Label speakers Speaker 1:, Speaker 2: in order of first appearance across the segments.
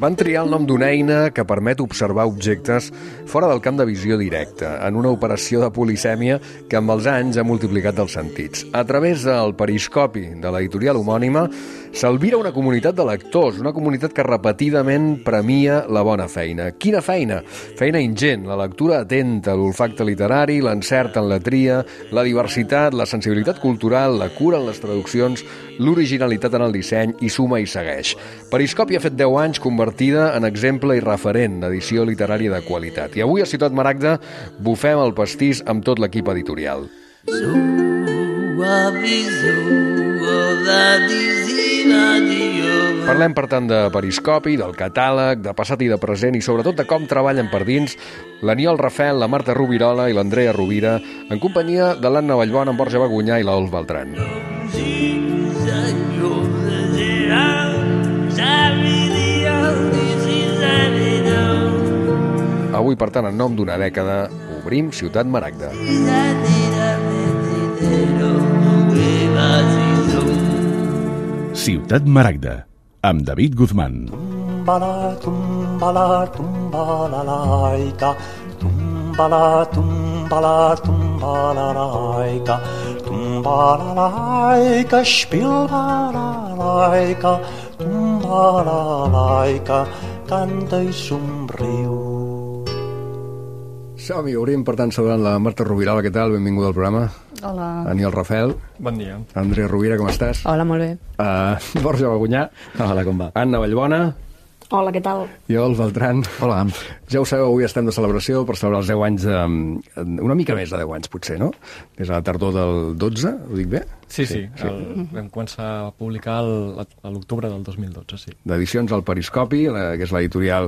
Speaker 1: van triar el nom d'una eina que permet observar objectes fora del camp de visió directa, en una operació de polisèmia que amb els anys ha multiplicat els sentits. A través del periscopi de l'editorial homònima s'albira una comunitat de lectors, una comunitat que repetidament premia la bona feina. Quina feina? Feina ingent, la lectura atenta, l'olfacte literari, l'encert en la tria, la diversitat, la sensibilitat cultural, la cura en les traduccions, l'originalitat en el disseny i suma i segueix. Periscopi ha fet 10 anys convertida en exemple i referent d'edició literària de qualitat. I avui a Ciutat Maragda bufem el pastís amb tot l'equip editorial. Parlem, per tant, de periscopi, del catàleg, de passat i de present i sobretot de com treballen per dins l'Aniol Rafel, la Marta Rubirola i l'Andrea Rovira en companyia de l'Anna Vallbona, en Borja Bagunyà i l'Olf Beltran. Avui, per tant, en nom d'una dècada, obrim Ciutat Maragda.
Speaker 2: Ciutat Maragda, amb David Guzmán.
Speaker 3: Tumbala, tumbala, tumbala, laica. Tumbala, tumbala, tumbala, laica. Tumbala, laica, spilbala, laica. Tumbala, laica, canta i somriu.
Speaker 1: Som-hi, obrim, per tant, saludant la Marta Rubirola. Què tal? Benvinguda al programa.
Speaker 4: Hola.
Speaker 1: Aniol Rafel.
Speaker 5: Bon dia.
Speaker 1: Andrea Rovira, com estàs?
Speaker 4: Hola, molt bé.
Speaker 1: Borja Bagunyà.
Speaker 5: Hola, com va?
Speaker 1: Anna Vallbona.
Speaker 4: Hola, què tal?
Speaker 1: I Olf Beltran.
Speaker 5: Hola.
Speaker 1: Ja ho sabeu, avui estem de celebració per celebrar els 10 anys, una mica més de 10 anys, potser, no? Des de la tardor del 12, ho dic bé?
Speaker 5: Sí. Vam començar a publicar a l'octubre del 2012, sí.
Speaker 1: D'edicions al Periscopi, que és l'editorial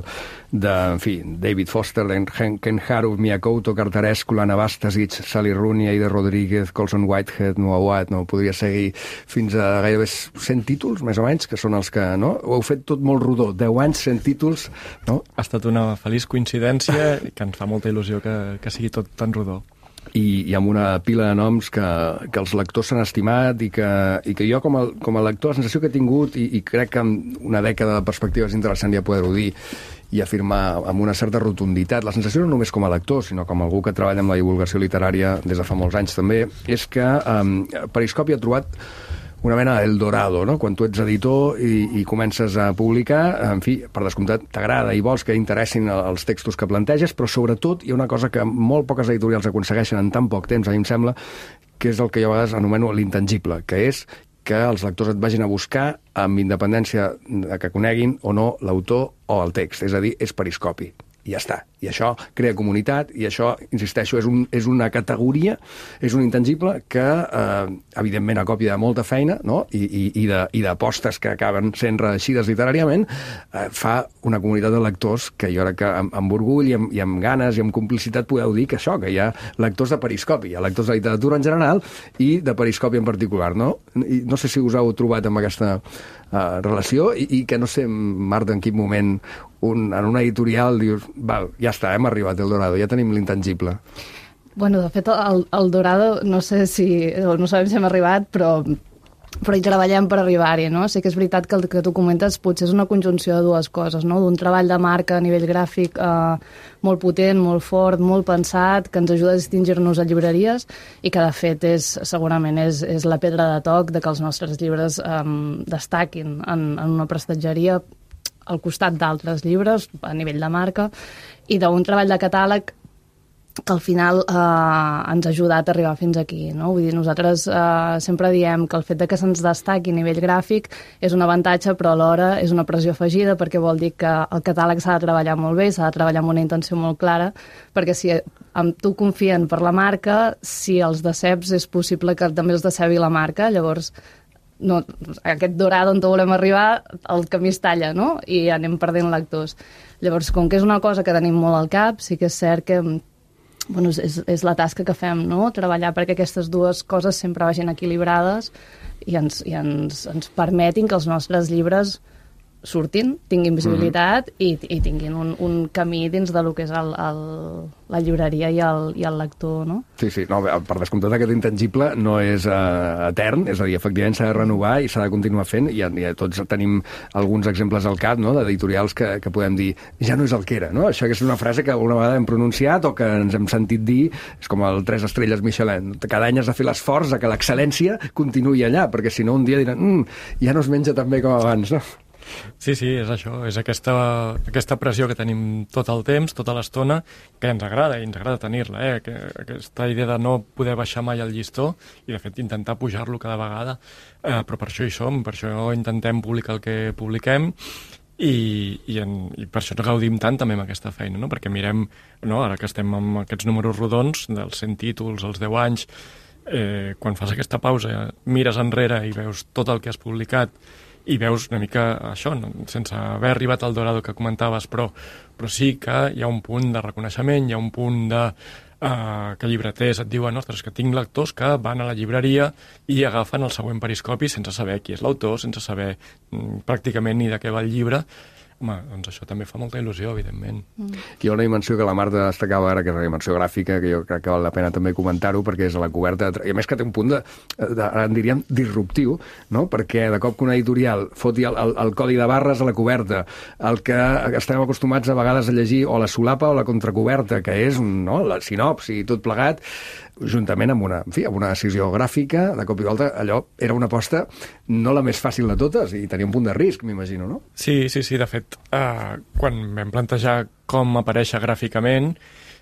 Speaker 1: de, en fi, David Foster, Ken Haruf, Mia Couto, Cartarescu, Lana Bastasic, Sally Rooney, Aida Rodríguez, Colson Whitehead, Noah Watt, no podria seguir fins a gairebé 100 títols, més o menys, que són els que, no? Ho heu fet tot molt rodó, 10 anys, 100 títols, no?
Speaker 5: Ha estat una feliç coincidència i que ens fa molta il·lusió que sigui tot tan rodó.
Speaker 1: I amb una pila de noms que els lectors s'han estimat i que jo com a lector la sensació que he tingut i crec que amb una dècada de perspectiva és interessant ja poder-ho dir i afirmar amb una certa rotunditat. La sensació no només com a lector, sinó com algú que treballa amb la divulgació literària des de fa molts anys també, és que Periscopi ha trobat una mena d'Eldorado, no? Quan tu ets editor i comences a publicar, en fi, per descomptat, t'agrada i vols que interessin els textos que planteges, però sobretot hi ha una cosa que molt poques editorials aconsegueixen en tan poc temps, a mi em sembla, que és el que jo a vegades anomeno l'intangible, que és que els lectors et vagin a buscar amb independència que coneguin o no l'autor o el text, és a dir, és Periscopi. I ja està. I això crea comunitat i això, insisteixo, és una categoria, és un intangible que, evidentment, a còpia de molta feina, no? I d'apostes que acaben sent reeixides literàriament, fa una comunitat de lectors que jo crec que amb orgull i amb ganes i amb complicitat podeu dir que això, que hi ha lectors de Periscopi, hi ha lectors de literatura en general i de Periscopi en particular, no? I no sé si us heu trobat amb aquesta relació i que no sé, Marta, en quin moment en una editorial dius, val, ja està, hem arribat al Dorado, ja tenim l'intangible.
Speaker 4: Bueno, de fet, el Dorado, no sé si, no sabem si hem arribat, però hi treballem per arribar-hi, no? Sí que és veritat que el que tu comentes potser és una conjunció de dues coses, no? D'un treball de marca a nivell gràfic molt potent, molt fort, molt pensat, que ens ajuda a distingir-nos a llibreries i que, de fet, segurament és la pedra de toc de que els nostres llibres destaquin en una prestatgeria al costat d'altres llibres a nivell de marca i d'un treball de catàleg que al final ens ha ajudat a arribar fins aquí, no? Vull dir, nosaltres sempre diem que el fet de que se'ns destaqui a nivell gràfic és un avantatge, però alhora és una pressió afegida perquè vol dir que el catàleg s'ha de treballar molt bé, s'ha de treballar amb una intenció molt clara, perquè si amb tu confien per la marca, si els deceps és possible que també els decebi la marca, llavors no, aquest Dorado on volem arribar, el camí es talla, no? I anem perdent lectors. Llavors, com que és una cosa que tenim molt al cap, sí que és cert que bueno, és la tasca que fem, no? Treballar perquè aquestes dues coses sempre vagin equilibrades i ens permetin que els nostres llibres surtin, tinguin visibilitat i tinguin un camí dins de lo que és la llibreria i el lector, no?
Speaker 1: Sí, no, per descomptat aquest intangible no és etern, és a dir, efectivament s'ha de renovar i s'ha de continuar fent, i tots tenim alguns exemples al cap, no?, d'editorials que podem dir, ja no és el que era, no? Això que és una frase que alguna vegada hem pronunciat o que ens hem sentit dir, és com el 3 estrelles Michelin, cada any has de fer l'esforç que l'excel·lència continuï allà, perquè si no un dia diran, ja no es menja tan bé com abans, no?
Speaker 5: Sí, és això, és aquesta pressió que tenim tot el temps, tota l'estona, que ens agrada, i ens agrada tenir-la, aquesta idea de no poder baixar mai el llistó i, de fet, intentar pujar-lo cada vegada, però per això hi som, per això intentem publicar el que publiquem i per això ens gaudim tant també amb aquesta feina, no? Perquè mirem, no, ara que estem amb aquests números rodons dels 100 títols, els 10 anys, quan fas aquesta pausa, mires enrere i veus tot el que has publicat i veus una mica això, no? Sense haver arribat al Dorado que comentaves, però sí que hi ha un punt de reconeixement, hi ha un punt de que llibreters et diuen, ostres, que tinc lectors que van a la llibreria i agafen el següent periscopi sense saber qui és l'autor, sense saber pràcticament ni de què va el llibre. Home, doncs això també fa molta il·lusió, evidentment.
Speaker 1: Hi ha una dimensió que la Marta destacava ara, que és la dimensió gràfica, que jo crec que val la pena també comentar-ho, perquè és a la coberta, i a més que té un punt en diríem, disruptiu, no? Perquè de cop que una editorial foti el codi de barres a la coberta, el que estem acostumats a vegades a llegir, o la solapa o la contracoberta, que és la sinopsi i tot plegat, juntament amb una decisió gràfica, de cop i volta, allò era una aposta no la més fàcil de totes, i tenia un punt de risc, m'imagino, no?
Speaker 5: Sí, de fet, quan vam plantejar com aparèixer gràficament,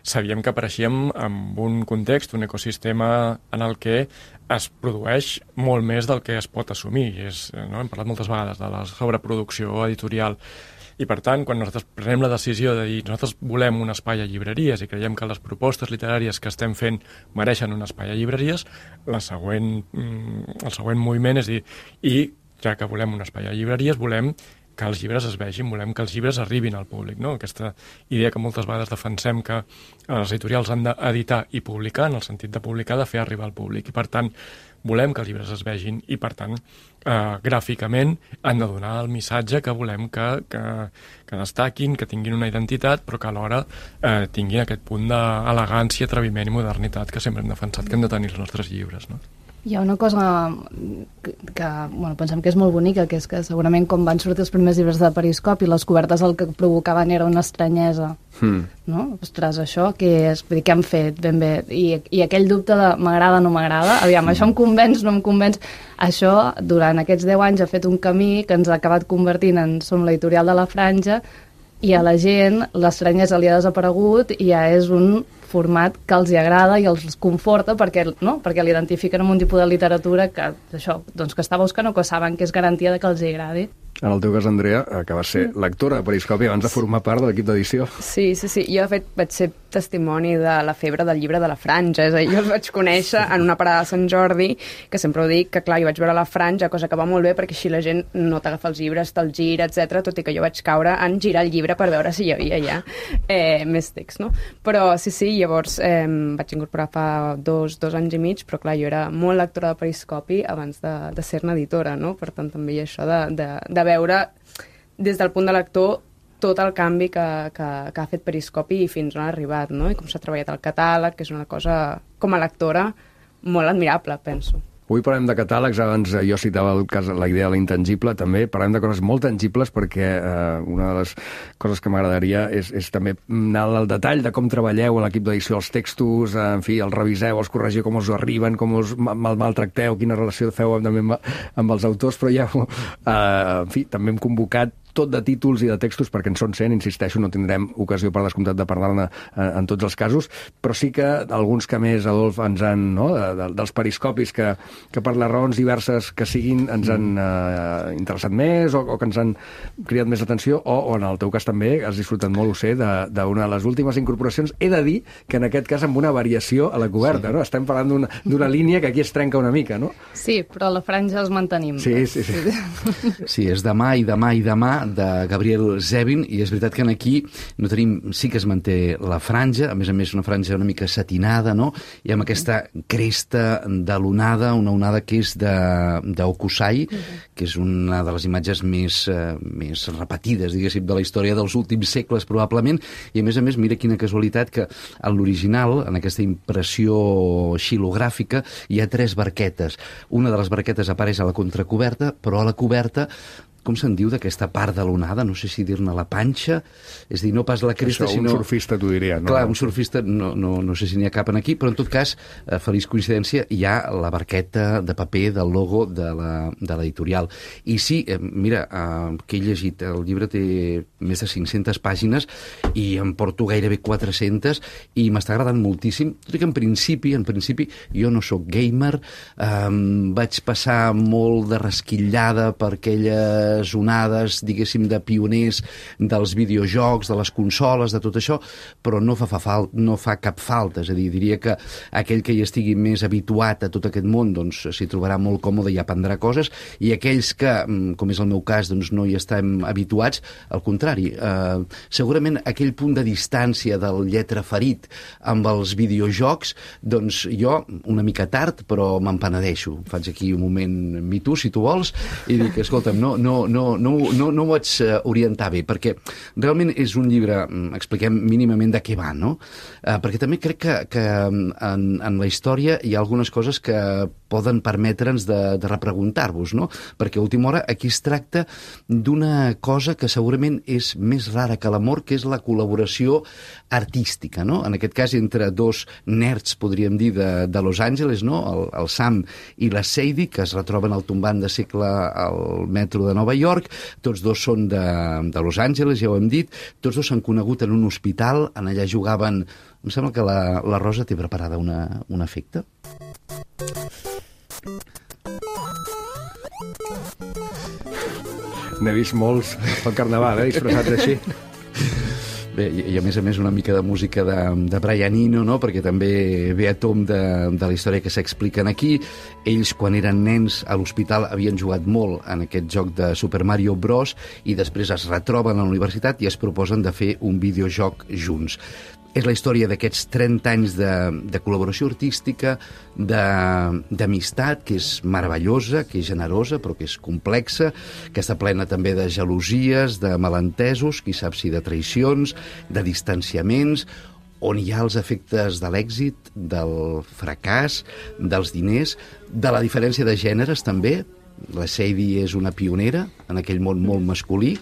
Speaker 5: sabíem que apareixíem en un context, un ecosistema en el que es produeix molt més del que es pot assumir. Hem parlat moltes vegades de la sobreproducció editorial, i per tant, quan nosaltres prenem la decisió de dir nosaltres volem un espai a llibreries i creiem que les propostes literàries que estem fent mereixen un espai a llibreries, el següent moviment és dir, i ja que volem un espai a llibreries, volem que els llibres es vegin, volem que els llibres arribin al públic, no? Aquesta idea que moltes vegades defensem que els editorials han d'editar i publicar, en el sentit de publicar, de fer arribar al públic, i per tant volem que els llibres es vegin i, per tant, gràficament han de donar el missatge que volem que destaquin, que tinguin una identitat, però que alhora tinguin aquest punt d'elegància, atreviment i modernitat que sempre hem defensat que han de tenir els nostres llibres, no?
Speaker 4: Hi ha una cosa que pensem que és molt bonica, que és que segurament quan van sortir els primers llibres de Periscopi, les cobertes el que provocaven era una estranyesa. No? Ostres, això què és? Vull dir, què han fet ben bé? I aquell dubte de m'agrada o no m'agrada, aviam, això em convenç, no em convenç. Això, durant aquests 10 anys, ha fet un camí que ens ha acabat convertint en som l'editorial de la Franja, i a la gent l'estranyesa li ha desaparegut i ja és un format que els hi agrada i els conforta perquè l'identifiquen amb un tipus de literatura que està buscant o que saben que és garantia de que els hi agradi.
Speaker 1: En el teu cas, Andrea, que vas ser lectora de Periscopi abans de formar part de l'equip d'edició.
Speaker 6: Sí. Jo, de fet, vaig ser testimoni de la febre del llibre de la Franja. És a dir, jo els vaig conèixer en una parada de Sant Jordi, que sempre ho dic, que clar, jo vaig veure la Franja, cosa que va molt bé perquè així la gent no t'agafa els llibres, te'l gira, etc. Tot i que jo vaig caure en girar el llibre per veure si hi havia ja més text, no? Però sí, llavors vaig incorporar fa dos anys i mig, però clar, jo era molt lectora de Periscopi abans de ser-ne editora, no? Per tant, també hi ha això de veure des del punt de lector tot el canvi que ha fet Periscopi i fins on ha arribat, no? I com s'ha treballat el catàleg, que és una cosa, com a lectora, molt admirable, penso.
Speaker 1: Avui parlem de catàlegs, abans jo citava la idea de l'intangible, també parlem de coses molt tangibles perquè una de les coses que m'agradaria és també anar al detall de com treballeu a l'equip d'edició els textos, en fi, els reviseu, els corregiu, com us arriben, com us maltracteu, quina relació feu també amb els autors, però ja, en fi, també hem convocat tot de títols i de textos, perquè en són 100, insisteixo, no tindrem ocasió per descomptat de parlar-ne en tots els casos, però sí que alguns que més, Adolf, ens han, no?, dels periscopis que per les raons diverses que siguin ens han interessat més o que ens han cridat més atenció, o en el teu cas també has disfrutat molt, ho sé, d'una de les últimes incorporacions. He de dir que en aquest cas amb una variació a la coberta, no? Estem parlant d'una línia que aquí es trenca una mica, no?
Speaker 4: Sí, però a la Franja els mantenim.
Speaker 1: Sí.
Speaker 7: Sí, és demà i demà i demà de Gabriel Zevin, i és veritat que aquí no tenim, sí que es manté la franja, a més una franja una mica satinada, no? I amb aquesta cresta de l'onada, una onada que és d'Okusai, que és una de les imatges més repetides, diguéssim, de la història dels últims segles, probablement, i a més, mira quina casualitat que en l'original, en aquesta impressió xilogràfica, hi ha 3 barquetes. Una de les barquetes apareix a la contracoberta, però a la coberta, com se'n diu d'aquesta part de l'onada? No sé si dir-ne la panxa, és dir, no pas la cresta,
Speaker 1: això,
Speaker 7: sinó...
Speaker 1: un surfista t'ho diria, no?
Speaker 7: Clar, un surfista no sé si n'hi ha cap en aquí, però en tot cas, feliç coincidència, hi ha la barqueta de paper del logo de l'editorial. I sí, mira, que he llegit, el llibre té més de 500 pàgines i em porto gairebé 400 i m'està agradant moltíssim, tot i que en principi jo no sóc gamer, vaig passar molt de rasquillada per aquelles onades, diguéssim, de pioners dels videojocs, de les consoles, de tot això, però no fa cap falta. És a dir, diria que aquell que hi estigui més habituat a tot aquest món, doncs s'hi trobarà molt còmode i aprendrà coses, i aquells que, com és el meu cas, doncs no hi estem habituats, al contrari. Segurament aquell punt de distància del lletraferit amb els videojocs, doncs jo, una mica tard, però me'n penedeixo. Faig aquí un moment me too, si tu vols, i dic, escolta'm, no ho vaig orientar bé, perquè realment és un llibre, expliquem mínimament de què va, no? Perquè també crec que en la història hi ha algunes coses que poden permetre'ns de repreguntar-vos, no? Perquè a última hora aquí es tracta d'una cosa que segurament és més rara que l'amor, que és la col·laboració artística, no? En aquest cas entre 2 nerds, podríem dir, de Los Angeles, no? El Sam i la Sadie, que es retroben al tombant de segle al metro de Nova York, tots 2 són de Los Angeles, ja ho hem dit, tots 2 s'han conegut en un hospital, en allà jugaven... Em sembla que la Rosa té preparada un efecte.
Speaker 1: N'he vist molts pel carnaval, disfressats així.
Speaker 7: Bé, i a més una mica de música de Brian Eno, no? Perquè també ve a tom de la història que s'expliquen aquí. Ells, quan eren nens a l'hospital, havien jugat molt en aquest joc de Super Mario Bros. I després es retroben a la universitat i es proposen de fer un videojoc junts. És la història d'aquests 30 anys de col·laboració artística, d'amistat, que és meravellosa, que és generosa, però que és complexa, que està plena també de gelosies, de malentesos, qui sap si de traïcions, de distanciaments, on hi ha els efectes de l'èxit, del fracàs, dels diners, de la diferència de gèneres també. La Sadie és una pionera en aquell món molt masculí,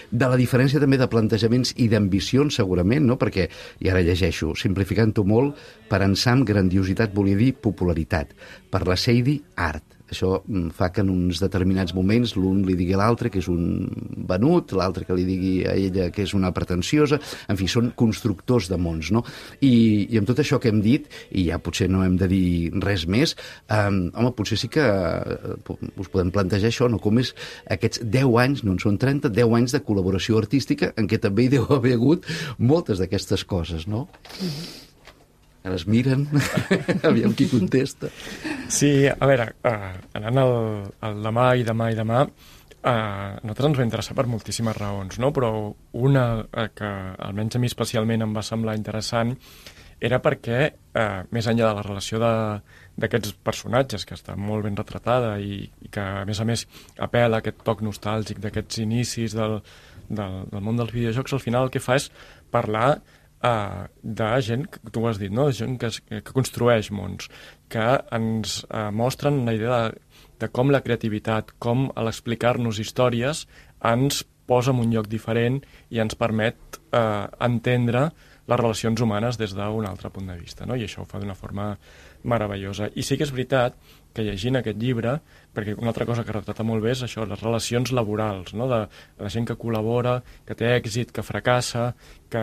Speaker 7: de la diferència també de plantejaments i d'ambicions, segurament, no? Perquè, i ara llegeixo, simplificant-ho molt, per en Sam grandiositat volia dir popularitat, per la Sadie art. Això fa que en uns determinats moments l'un li digui a l'altre que és un venut, l'altre que li digui a ella que és una pretensiosa, en fi, són constructors de mons, no? I amb tot això que hem dit, i ja potser no hem de dir res més, home, potser sí que us podem plantejar això, no? Com és aquests 10 anys, no en són 30, 10 anys de col·laboració artística en què també hi deu haver hagut moltes d'aquestes coses, no? Ara es miren, aviam qui contesta.
Speaker 5: Sí, a veure, anant al demà i demà, a nosaltres ens va interessar per moltíssimes raons, no? Però una que almenys a mi especialment em va semblar interessant era perquè, més enllà de la relació d'aquests personatges, que està molt ben retratada i que, a més, apela a aquest toc nostàlgic d'aquests inicis del món dels videojocs, al final el que fa és parlar de gent, que tu ho has dit, no? De gent que construeix mons, que ens mostren una idea de com la creativitat, com a l'explicar-nos històries ens posa en un lloc diferent i ens permet entendre les relacions humanes des d'un altre punt de vista, no? I això ho fa d'una forma meravellosa. I sí que és veritat que llegint aquest llibre, perquè una altra cosa que retrata molt bé és això, les relacions laborals, no? De la gent que col·labora, que té èxit, que fracassa, que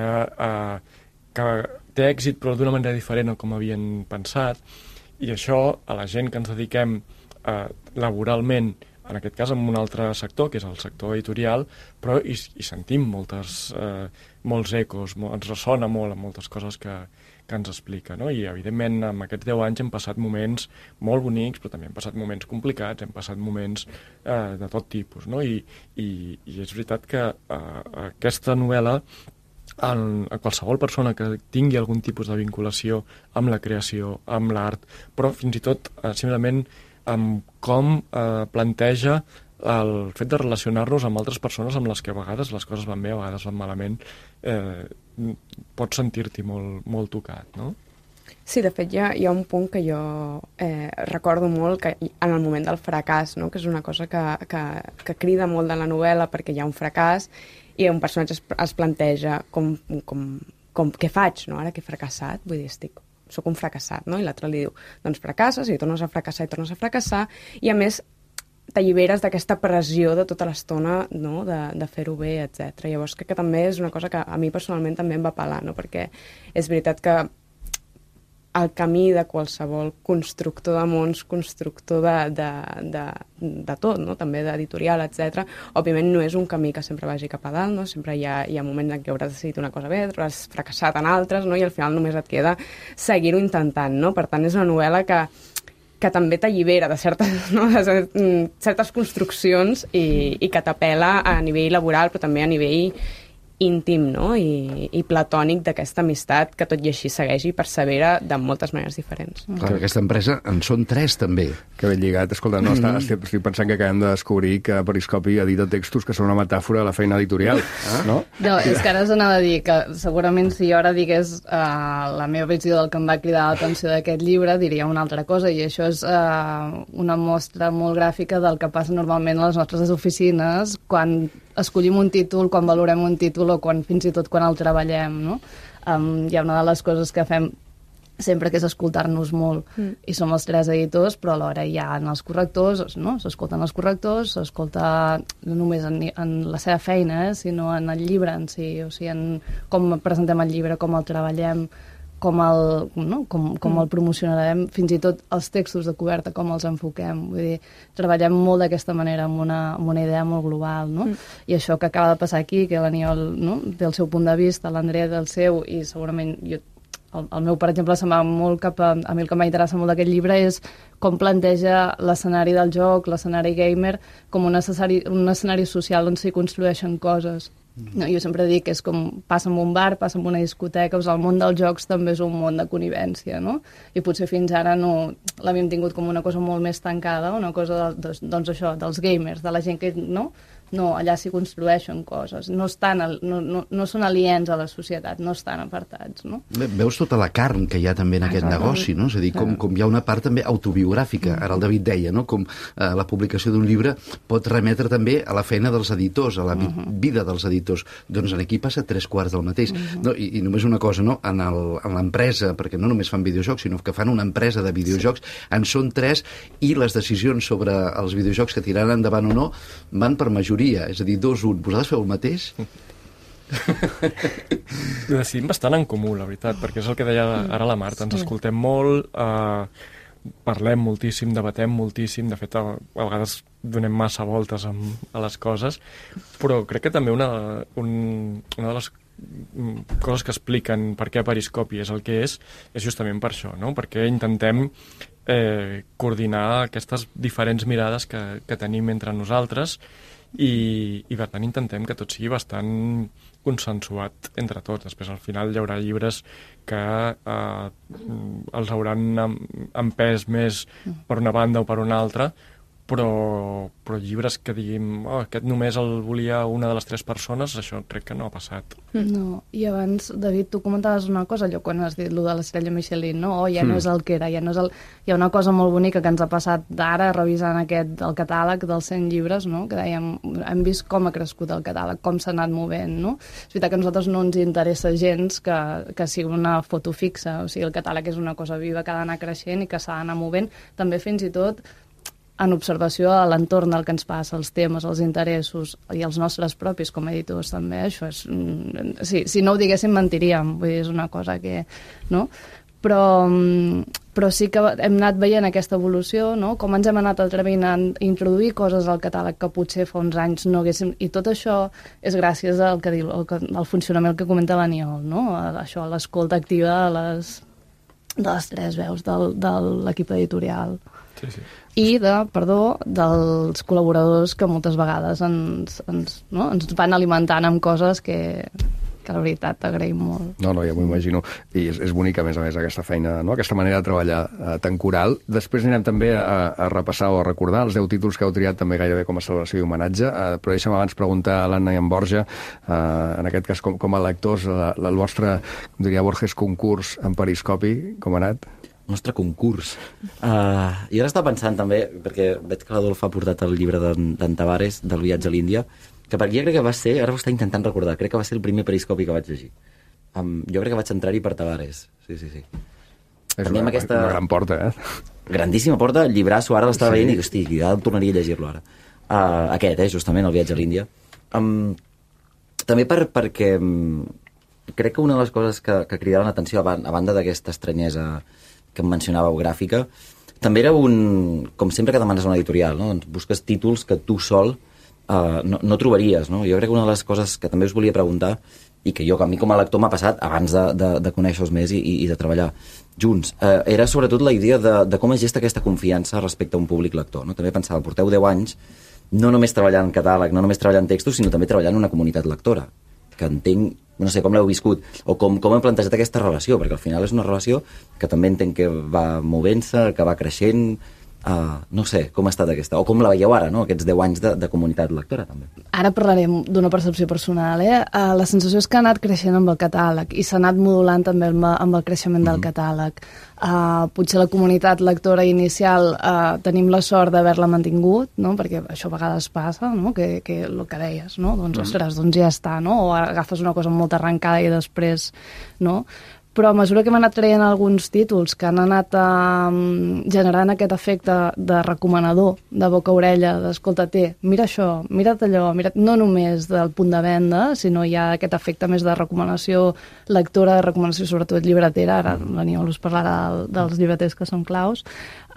Speaker 5: té èxit però d'una manera diferent a com havien pensat, i això a la gent que ens dediquem laboralment en aquest cas en un altre sector, que és el sector editorial, però hi sentim molts ecos, ens ressona molt amb moltes coses que ens explica, no? I, evidentment, en aquests 10 anys hem passat moments molt bonics, però també hem passat moments complicats, hem passat moments de tot tipus, no? I és veritat que aquesta novel·la, a qualsevol persona que tingui algun tipus de vinculació amb la creació, amb l'art, però fins i tot simplement amb com planteja el fet de relacionar-nos amb altres persones amb les que a vegades les coses van bé, a vegades van malament, pots sentir-t'hi molt tocat, no?
Speaker 6: Sí, de fet, hi ha un punt que jo recordo molt que en el moment del fracàs, no? Que és una cosa que crida molt de la novel·la perquè hi ha un fracàs i un personatge es planteja què faig, no? Ara que he fracassat, vull dir, soc un fracassat, no? I l'altre li diu, doncs fracasses i tornes a fracassar i tornes a fracassar, i a més t'alliberes d'aquesta pressió de tota l'estona, no? de fer-ho bé, etc. Llavors crec que també és una cosa que a mi personalment també em va pelar, no? Perquè és veritat que el camí de qualsevol constructor de mons, constructor de tot, no? També d'editorial, etc. Òbviament no és un camí que sempre vagi cap a dalt, no? Sempre hi ha moments en què hauràs decidit una cosa bé, hauràs fracassat en altres, no? I al final només et queda seguir-ho intentant, no? Per tant, és una novel·la que també t'allibera de certes construccions i que t'apela a nivell laboral, però també a nivell íntim, no? I platònic d'aquesta amistat que tot i així segueix i persevera de moltes maneres diferents.
Speaker 7: Clar, aquesta empresa en són 3 també.
Speaker 1: Que ben lligat. Escolta, no, estic pensant que acabem de descobrir que Periscopi edita textos que són una metàfora de la feina editorial, no?
Speaker 4: No, és que ara us anava a dir que segurament si jo ara digués la meva visió del que em va cridar l'atenció d'aquest llibre, diria una altra cosa, i això és una mostra molt gràfica del que passa normalment a les nostres oficines quan escollim un títol, quan valorem un títol o fins i tot quan el treballem, no? Hi ha una de les coses que fem sempre que és escoltar-nos molt, i som els 3 editors, però alhora hi ha els correctors, no? S'escolten els correctors, s'escolta no només en la seva feina, sinó en el llibre en si, o sigui, en com presentem el llibre, com el treballem, com el promocionarem, fins i tot els textos de coberta, com els enfoquem. Vull dir, treballem molt d'aquesta manera, amb una idea molt global, no? I això que acaba de passar aquí, que l'Aniol, no? Té el seu punt de vista, l'Andrea del seu, i segurament el meu, per exemple, se'n va molt cap a mi el que m'interessa molt d'aquest llibre és com planteja l'escenari del joc, l'escenari gamer, com un escenari social on s'hi construeixen coses. No, jo sempre dic que és com passa en un bar, passa en una discoteca, el món dels jocs també és un món de connivència, no? I potser fins ara no l'havíem tingut com una cosa molt més tancada, una cosa doncs això, dels gamers, de la gent que no, allà s'hi construeixen coses, no són aliens a la societat, no estan apartats, no?
Speaker 7: Veus tota la carn que hi ha també en aquest negoci, no? És a dir, com hi ha una part també autobiogràfica, ara el David deia, no? Com la publicació d'un llibre pot remetre també a la feina dels editors, a la vida dels editors. Doncs aquí passa 3/4 del mateix. No, i només una cosa, no? En l'empresa, perquè no només fan videojocs, sinó que fan una empresa de videojocs, en són 3, i les decisions sobre els videojocs que tiraran endavant o no van per majoria, és a dir, 2-1. Vosaltres feu el mateix?
Speaker 5: Decidim bastant en comú, la veritat, perquè és el que deia ara la Marta, ens escoltem molt, parlem moltíssim, debatem moltíssim, de fet a vegades donem massa voltes a les coses, però crec que també una de les coses que expliquen per què Periscopi és el que és justament per això, no? Perquè intentem coordinar aquestes diferents mirades que tenim entre nosaltres i per tant intentem que tot sigui bastant consensuat entre tots. Després al final hi haurà llibres que els hauran empès més per una banda o per una altra, però llibres que diguin aquest només el volia una de les 3 persones, això crec que no ha passat.
Speaker 4: No, i abans, David, tu comentaves una cosa, allò quan has dit allò de l'estrella Michelin, no? Ja no és el que era, ja no és el... Hi ha una cosa molt bonica que ens ha passat d'ara, revisant el catàleg dels 100 llibres, no? Que dèiem, hem vist com ha crescut el catàleg, com s'ha anat movent, no? És veritat que a nosaltres no ens interessa gens que sigui una foto fixa, o sigui, el catàleg és una cosa viva que ha d'anar creixent i que s'ha d'anar movent, també fins i tot en observació a l'entorn del que ens passa, els temes, els interessos i els nostres propis com a editors també, això és... Si no ho diguéssim mentiríem, vull dir, és una cosa que... no? Però però sí que hem anat veient aquesta evolució, no? Com ens hem anat atrevint a introduir coses al catàleg que potser fa uns anys no haguéssim... I tot això és gràcies al funcionament que comenta l'Aniol, no? Això, a l'escolta activa de les tres veus de l'equip editorial.
Speaker 5: Sí, sí.
Speaker 4: I dels col·laboradors que moltes vegades ens van alimentant amb coses que la veritat agraïm molt.
Speaker 1: No, ja m'ho imagino. I és bonica, a més, aquesta feina, no? Aquesta manera de treballar tan coral. Després anirem també a repassar o a recordar els 10 títols que heu triat també gairebé com a celebració i homenatge, però deixa'm abans preguntar a l'Anna i en Borja, en aquest cas com a lectors, el vostre, com diria Borges, concurs en Periscopi, com ha anat?
Speaker 8: El nostre concurs. Jo ara estava pensant també, perquè veig que l'Adolf ha portat el llibre d'en Tavares, del viatge a l'Índia, que per aquí crec que va ser, ara ho està intentant recordar, crec que va ser el primer periscopi que vaig llegir. Jo crec que vaig entrar-hi per Tavares. Sí.
Speaker 1: És una gran porta,
Speaker 8: Grandíssima porta, el llibrasso, ara l'estava veient i, hosti, ja tornaria a llegir-lo ara. Aquest, justament, el viatge a l'Índia. També perquè crec que una de les coses que cridaven l'atenció, a banda d'aquesta estranyesa que em mencionàveu gràfica, també era com sempre que demanes una editorial, no? Doncs busques títols que tu sol no trobaries, no? Jo crec que una de les coses que també us volia preguntar, i que a mi com a lector m'ha passat abans de conèixer-vos més i de treballar junts, era sobretot la idea de com es gesta aquesta confiança respecte a un públic lector, no? També pensava, porteu 10 anys no només treballant catàleg, no només treballant textos, sinó també treballant en una comunitat lectora, que entenc, no sé com l'heu viscut, o com hem plantejat aquesta relació, perquè al final és una relació que també entenc que va movent-se, que va creixent. No sé, com ha estat aquesta, o com la veieu ara, no? Aquests 10 anys de comunitat lectora, també.
Speaker 4: Ara parlarem d'una percepció personal, La sensació és que ha anat creixent amb el catàleg i s'ha anat modulant també amb el creixement del catàleg. Potser la comunitat lectora inicial tenim la sort d'haver-la mantingut, no? Perquè això a vegades passa, no? Que el que deies, no? Doncs, ostres, doncs ja està, no? O agafes una cosa molt arrencada i després, no? Però a mesura que hem anat traient alguns títols que han anat generant aquest efecte de recomanador, de boca-orella, d'escolta, mira això, mira't allò, no només del punt de venda, sinó hi ha aquest efecte més de recomanació lectora, de recomanació sobretot llibretera, ara l'Aniol us parlarà dels llibreters que són claus,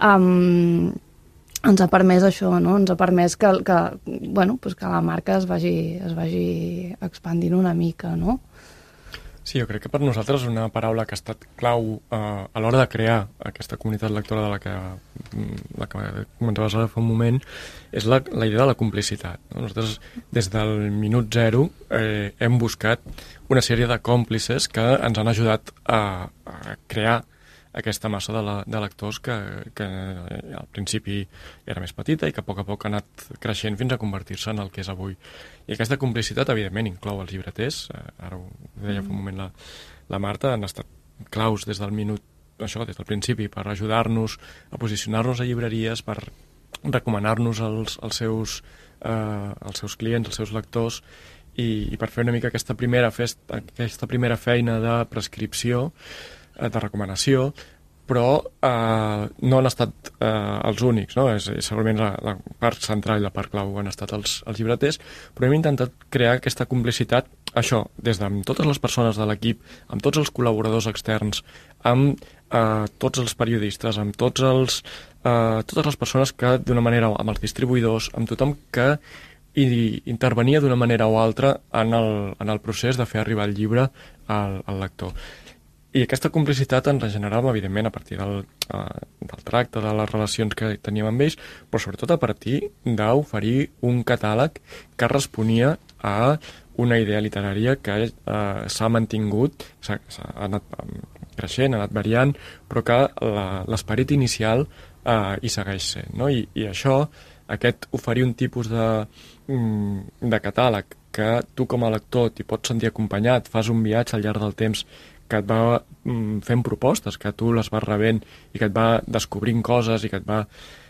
Speaker 4: ens ha permès això, no? Ens ha permès que la marca es vagi expandint una mica, no?
Speaker 5: Sí, jo crec que per nosaltres una paraula que ha estat clau a l'hora de crear aquesta comunitat lectora de la que comentaves ara fa un moment és la idea de la complicitat. Nosaltres, des del minut zero, hem buscat una sèrie de còmplices que ens han ajudat a crear aquesta massa de lectors que al principi era més petita i que a poc ha anat creixent fins a convertir-se en el que és avui. I aquesta complicitat, evidentment, inclou els llibreters, ara ho deia fa un moment la Marta, han estat claus des del minut, això, des del principi, per ajudar-nos a posicionar-nos a llibreries, per recomanar-nos als seus clients, als seus lectors, i per fer una mica aquesta primera feina de prescripció, de recomanació, però no han estat els únics, no? Segurament la part central i la part clau han estat els llibreters, però hem intentat crear aquesta complicitat, això, des de totes les persones de l'equip, amb tots els col·laboradors externs, amb tots els periodistes, amb totes les persones que d'una manera, amb els distribuïdors, amb tothom que intervenia d'una manera o altra en el procés de fer arribar el llibre al lector. I aquesta complicitat ens la generàvem, evidentment, a partir del tracte, de les relacions que teníem amb ells, però sobretot a partir d'oferir un catàleg que responia a una idea literària que s'ha mantingut, s'ha anat creixent, ha anat variant, però que l'esperit inicial hi segueix sent, no? I això, aquest oferir un tipus de catàleg que tu com a lector t'hi pots sentir acompanyat, fas un viatge al llarg del temps que et va fent propostes, que tu les vas rebent i que et va descobrint coses i que et va...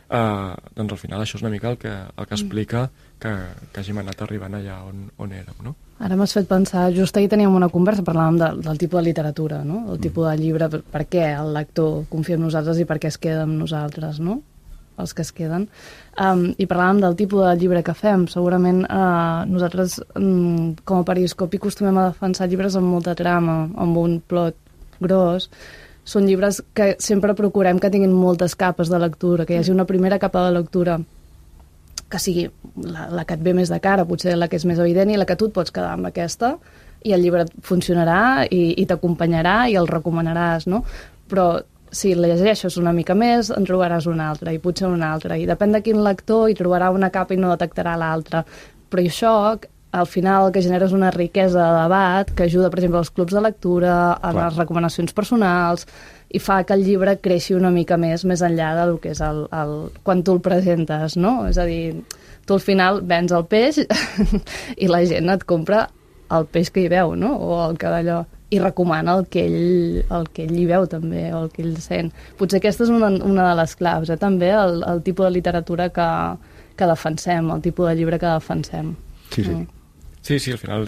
Speaker 5: doncs al final això és una mica el que explica que hàgim anat arribant allà on érem, no?
Speaker 4: Ara m'has fet pensar, just ahir teníem una conversa, parlàvem del tipus de literatura, no? El tipus de llibre, per què el lector confia en nosaltres i per què es queda amb nosaltres, no? Els que es queden. I parlàvem del tipus de llibre que fem. Segurament nosaltres, com a Periscopi, acostumem a defensar llibres amb molta trama, amb un plot gros, són llibres que sempre procurem que tinguin moltes capes de lectura, que hi hagi una primera capa de lectura que sigui la que et ve més de cara, potser la que és més evident, i la que tu et pots quedar amb aquesta, i el llibre funcionarà i t'acompanyarà i el recomanaràs, no? Però si llegeixes una mica més, en trobaràs una altra, i potser una altra, i depèn de quin lector hi trobarà una capa i no detectarà l'altra. Però això, al final, el que genera és una riquesa de debat que ajuda, per exemple, als clubs de lectura, a les recomanacions personals, i fa que el llibre creixi una mica més enllà del que és quan tu el presentes, no? És a dir, tu al final vens el peix i la gent et compra el peix que hi veu, no? O el que d'allò, i recomana el que ell hi veu també, o el que ell sent. Potser aquesta és una de les claus, també, el tipus de literatura que defensem, el tipus de llibre que defensem.
Speaker 5: Sí, al final,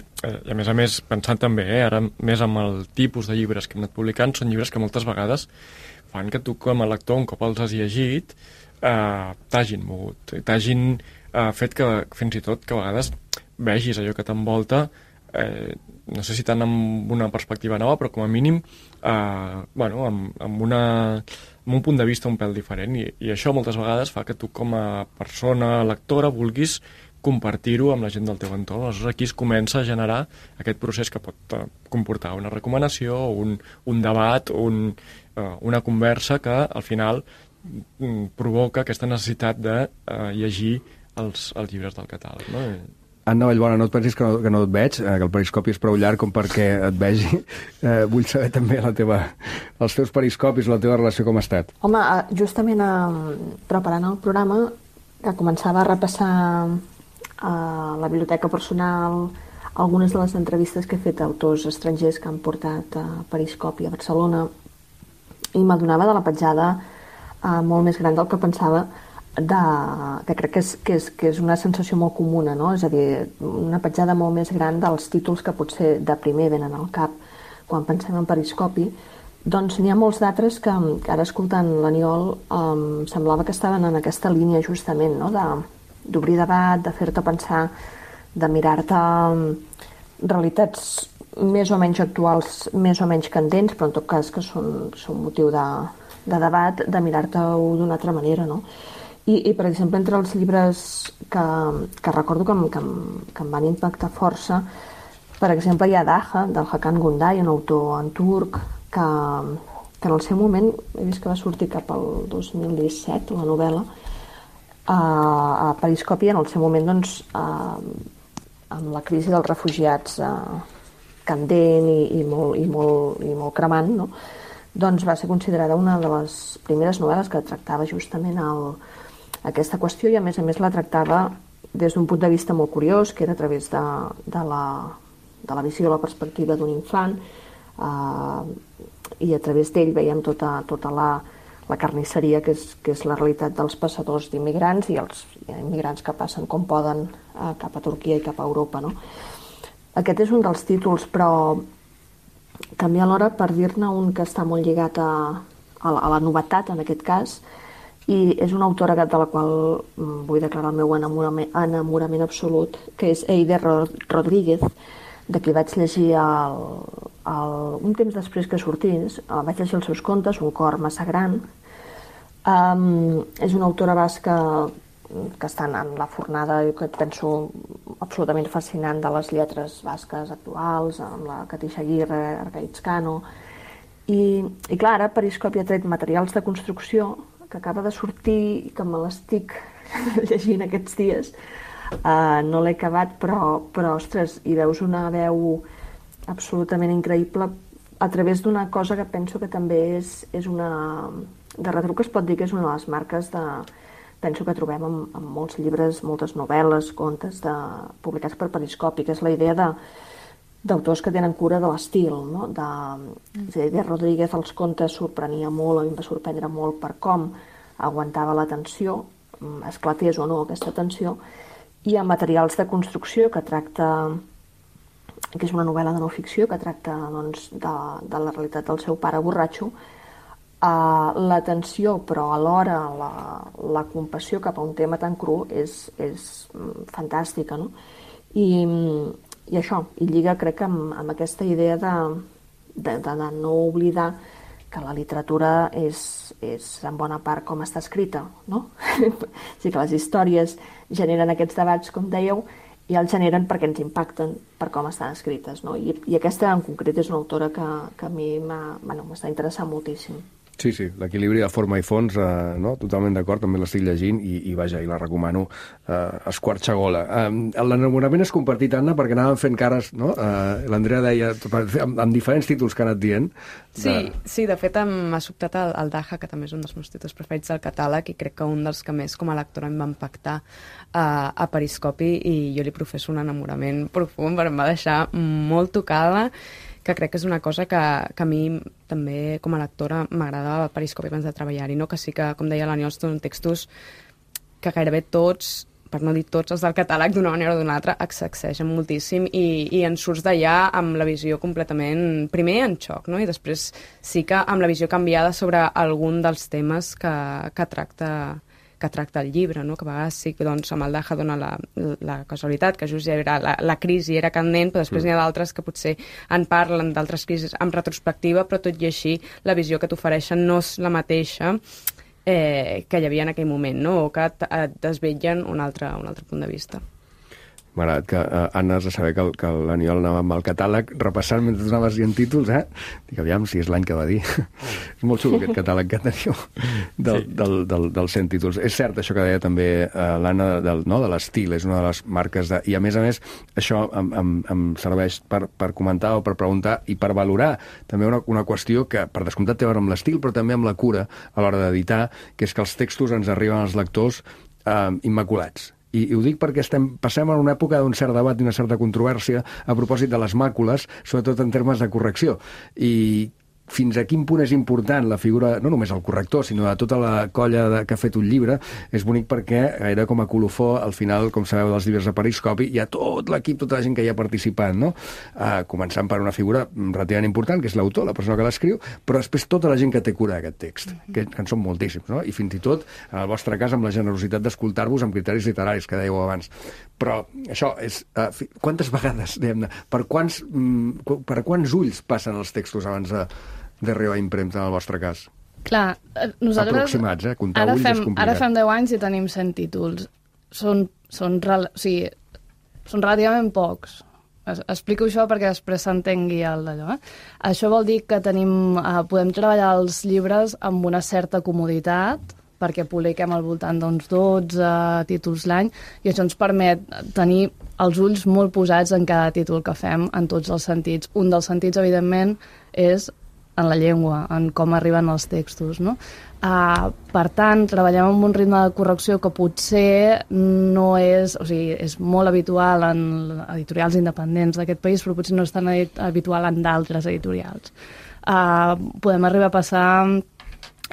Speaker 5: i a més, pensant també, ara més amb el tipus de llibres que hem anat publicant, són llibres que moltes vegades fan que tu com a lector, un cop els has llegit, t'hagin mogut, t'hagin fet que, fins i tot, que a vegades vegis allò que t'envolta, no sé si tant amb una perspectiva nova, però com a mínim amb un punt de vista un pèl diferent, i això moltes vegades fa que tu com a persona lectora vulguis compartir-ho amb la gent del teu entorn. Aleshores aquí es comença a generar aquest procés que pot comportar una recomanació, un debat, una conversa que al final provoca aquesta necessitat de llegir els llibres del catàleg, no?
Speaker 1: Anna Vallbona, no et pensis que no et veig, que el periscopi és prou llarg com perquè et vegi. Vull saber també els teus periscopis, la teva relació com ha estat.
Speaker 9: Home, justament preparant el programa, que començava a repassar a la biblioteca personal algunes de les entrevistes que he fet a autors estrangers que han portat a Periscopi a Barcelona, i m'adonava de la petjada molt més gran del que pensava, que crec que és una sensació molt comuna, no? És a dir, una petjada molt més gran dels títols que potser de primer venen al cap quan pensem en Periscopi. Doncs n'hi ha molts d'altres que ara, escoltant l'Aniol, semblava que estaven en aquesta línia justament, no? D'obrir debat, de fer-te pensar, de mirar-te realitats més o menys actuals, més o menys candents, però en tot cas que són motiu de debat, de mirar-te-ho d'una altra manera, no? I per exemple, entre els llibres que recordo que em van impactar força, per exemple, hi ha Daha, del Hakan Günday, un autor en turc, que en el seu moment, he vist que va sortir cap al 2017, la novel·la, a Periscopi, en el seu moment, doncs, amb la crisi dels refugiats candent i molt cremant, no? Doncs va ser considerada una de les primeres novel·les que tractava justament aquesta qüestió, i a més la tractava des d'un punt de vista molt curiós, que era a través de la visió, la perspectiva d'un infant, i a través d'ell veiem tota la carnisseria que és la realitat dels passadors d'immigrants i els immigrants que passen com poden cap a Turquia i cap a Europa, no? Aquest és un dels títols, però també alhora, per dir-ne un que està molt lligat a la novetat en aquest cas, i és una autora de la qual vull declarar el meu enamorament absolut, que és Eider Rodríguez, de qui vaig llegir un temps després que sortís, vaig llegir els seus contes, Un cor massa gran. És una autora basca que està en la fornada, que penso absolutament fascinant, de les lletres basques actuals, amb la Katixa Aguirre, Argaïtzcano. I clar, ara Periscopi ha tret Materials de construcció, que acaba de sortir i que me l'estic llegint aquests dies. No l'he acabat, però ostres, hi veus una veu absolutament increïble a través d'una cosa que penso que també és una... De retruc es pot dir que és una de les marques penso que trobem en molts llibres, moltes novel·les, contes publicats per Periscopi, que és la idea d'autors que tenen cura de l'estil, no? De Rodríguez, els contes sorprenia molt, a mi em va sorprendre molt per com aguantava la tensió, esclatés o no aquesta tensió, i a Materials de construcció, que és una novel·la de no ficció, que tracta doncs, de la realitat del seu pare borratxo, la tensió, però alhora la compassió cap a un tema tan cru és fantàstica, no? I això, i lliga, crec, amb aquesta idea de no oblidar la literatura és en bona part com està escrita, no? O sigui que les històries generen aquests debats, com dèieu, i els generen perquè ens impacten per com estan escrites, no? I aquesta en concret és una autora que a mi m'està interessant moltíssim.
Speaker 1: Sí, l'equilibri de forma i fons, no? Totalment d'acord, també l'estic llegint i vaja, i la recomano esquarxagola. L'enamorament és compartit, Anna, perquè anàvem fent cares, no? L'Andrea deia, amb diferents títols que ha anat dient.
Speaker 6: Sí, de fet m'ha sobtat el Daha, que també és un dels meus títols preferits del catàleg, i crec que un dels que més com a lectora em va impactar a Periscopi, i jo li professo un enamorament profund, però em va deixar molt tocada, que crec que és una cosa que a mi també com a lectora m'agradava Periscopi abans de treballar-hi, no? Que sí que, com deia l'Aniol, són textos que gairebé tots, per no dir tots els del catàleg, d'una manera o d'una altra, sacsegen moltíssim i en surts d'allà amb la visió completament, primer en xoc, no? I després sí que amb la visió canviada sobre algun dels temes que tracta el llibre, no? Que a vegades sí que doncs, amb el Daha dona la casualitat, que just ja era la crisi era candent, però després n'hi ha d'altres que potser en parlen d'altres crisis amb retrospectiva, però tot i així la visió que t'ofereixen no és la mateixa que hi havia en aquell moment, no? O que et desvetllen un altre punt de vista.
Speaker 1: M'ha agradat que, Anna, has de saber que l'Aniol anava amb el catàleg repassant mentre anaves dient títols, Dic, aviam si és l'any que va dir. És molt xulo aquest catàleg que teniu dels 100 títols. És cert això que deia també l'Anna de l'estil, és una de les marques I a més, això em serveix per comentar o per preguntar i per valorar també una qüestió que, per descomptat, té a veure amb l'estil, però també amb la cura a l'hora d'editar, que és que els textos ens arriben als lectors immaculats. I ho dic perquè passem en una època d'un cert debat i una certa controvèrsia a propòsit de les màcules, sobretot en termes de correcció. I fins a quin punt és important la figura, no només el corrector, sinó de tota la colla que ha fet un llibre, és bonic perquè era com a colofó, al final, com sabeu, dels llibres de Periscopi, hi ha tot l'equip, tota la gent que hi ha participat, no? Començant per una figura relativament important, que és l'autor, la persona que l'escriu, però després tota la gent que té cura d'aquest text, que en són moltíssims, no? I fins i tot, en el vostre cas, amb la generositat d'escoltar-vos amb criteris literaris, que dèieu abans. Però això és... quantes vegades, diguem-ne, per quants ulls passen els textos abans d'arribar a impremta en el vostre cas?
Speaker 4: Clar, nosaltres...
Speaker 1: Aproximats, comptar ulls és complicat.
Speaker 4: Ara fem 10 anys i tenim 100 títols. Són relativament pocs. Explico això perquè després s'entengui el d'allò. Això vol dir que podem treballar els llibres amb una certa comoditat, perquè publiquem al voltant d'uns 12 títols l'any, i això ens permet tenir els ulls molt posats en cada títol que fem, en tots els sentits. Un dels sentits, evidentment, és en la llengua, en com arriben els textos, no? Per tant, treballem amb un ritme de correcció que potser no és... O sigui, és molt habitual en editorials independents d'aquest país, però potser no és tan habitual en d'altres editorials. Podem arribar a passar...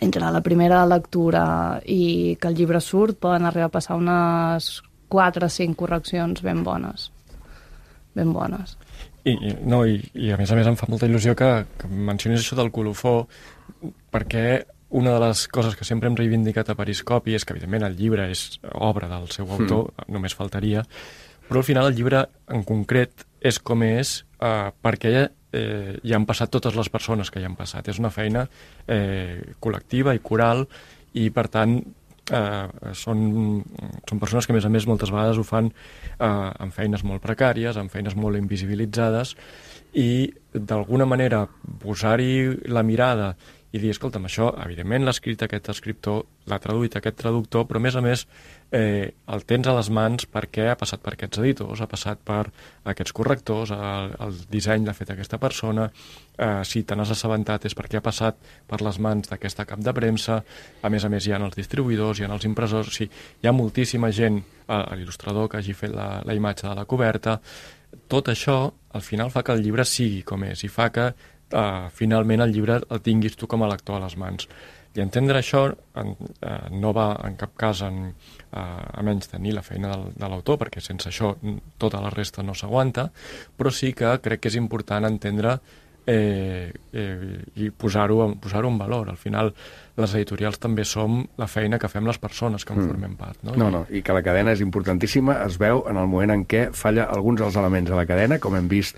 Speaker 4: entre la primera lectura i que el llibre surt, poden arribar a passar unes 4 o 5 correccions ben bones. Ben bones.
Speaker 5: I a més em fa molta il·lusió que mencionis això del colofó, perquè una de les coses que sempre hem reivindicat a Periscopi és que, evidentment, el llibre és obra del seu autor, només faltaria, però al final el llibre en concret és com és perquè hi han passat totes les persones que hi han passat. És una feina col·lectiva i coral i, per tant, són persones que, a més, moltes vegades ho fan amb feines molt precàries, amb feines molt invisibilitzades, i, d'alguna manera, posar-hi la mirada i dir, escolta'm, això, evidentment, l'ha escrit aquest escriptor, l'ha traduït aquest traductor, però, a més, el tens a les mans perquè ha passat per aquests editors, ha passat per aquests correctors, el disseny l'ha fet aquesta persona, si te n'has assabentat és perquè ha passat per les mans d'aquesta cap de premsa, a més, hi ha els distribuïdors, hi ha els impressors, o sigui, hi ha moltíssima gent, l'il·lustrador que hagi fet la imatge de la coberta. Tot això, al final, fa que el llibre sigui com és, i fa que finalment el llibre el tinguis tu com a lector a les mans. I entendre això no va en cap cas a menys tenir la feina de l'autor, perquè sense això tota la resta no s'aguanta, però sí que crec que és important entendre i posar-ho en valor. Al final, les editorials també som la feina que fem les persones que en formem part.
Speaker 1: No, i que la cadena és importantíssima, es veu en el moment en què falla alguns dels elements de la cadena, com hem vist,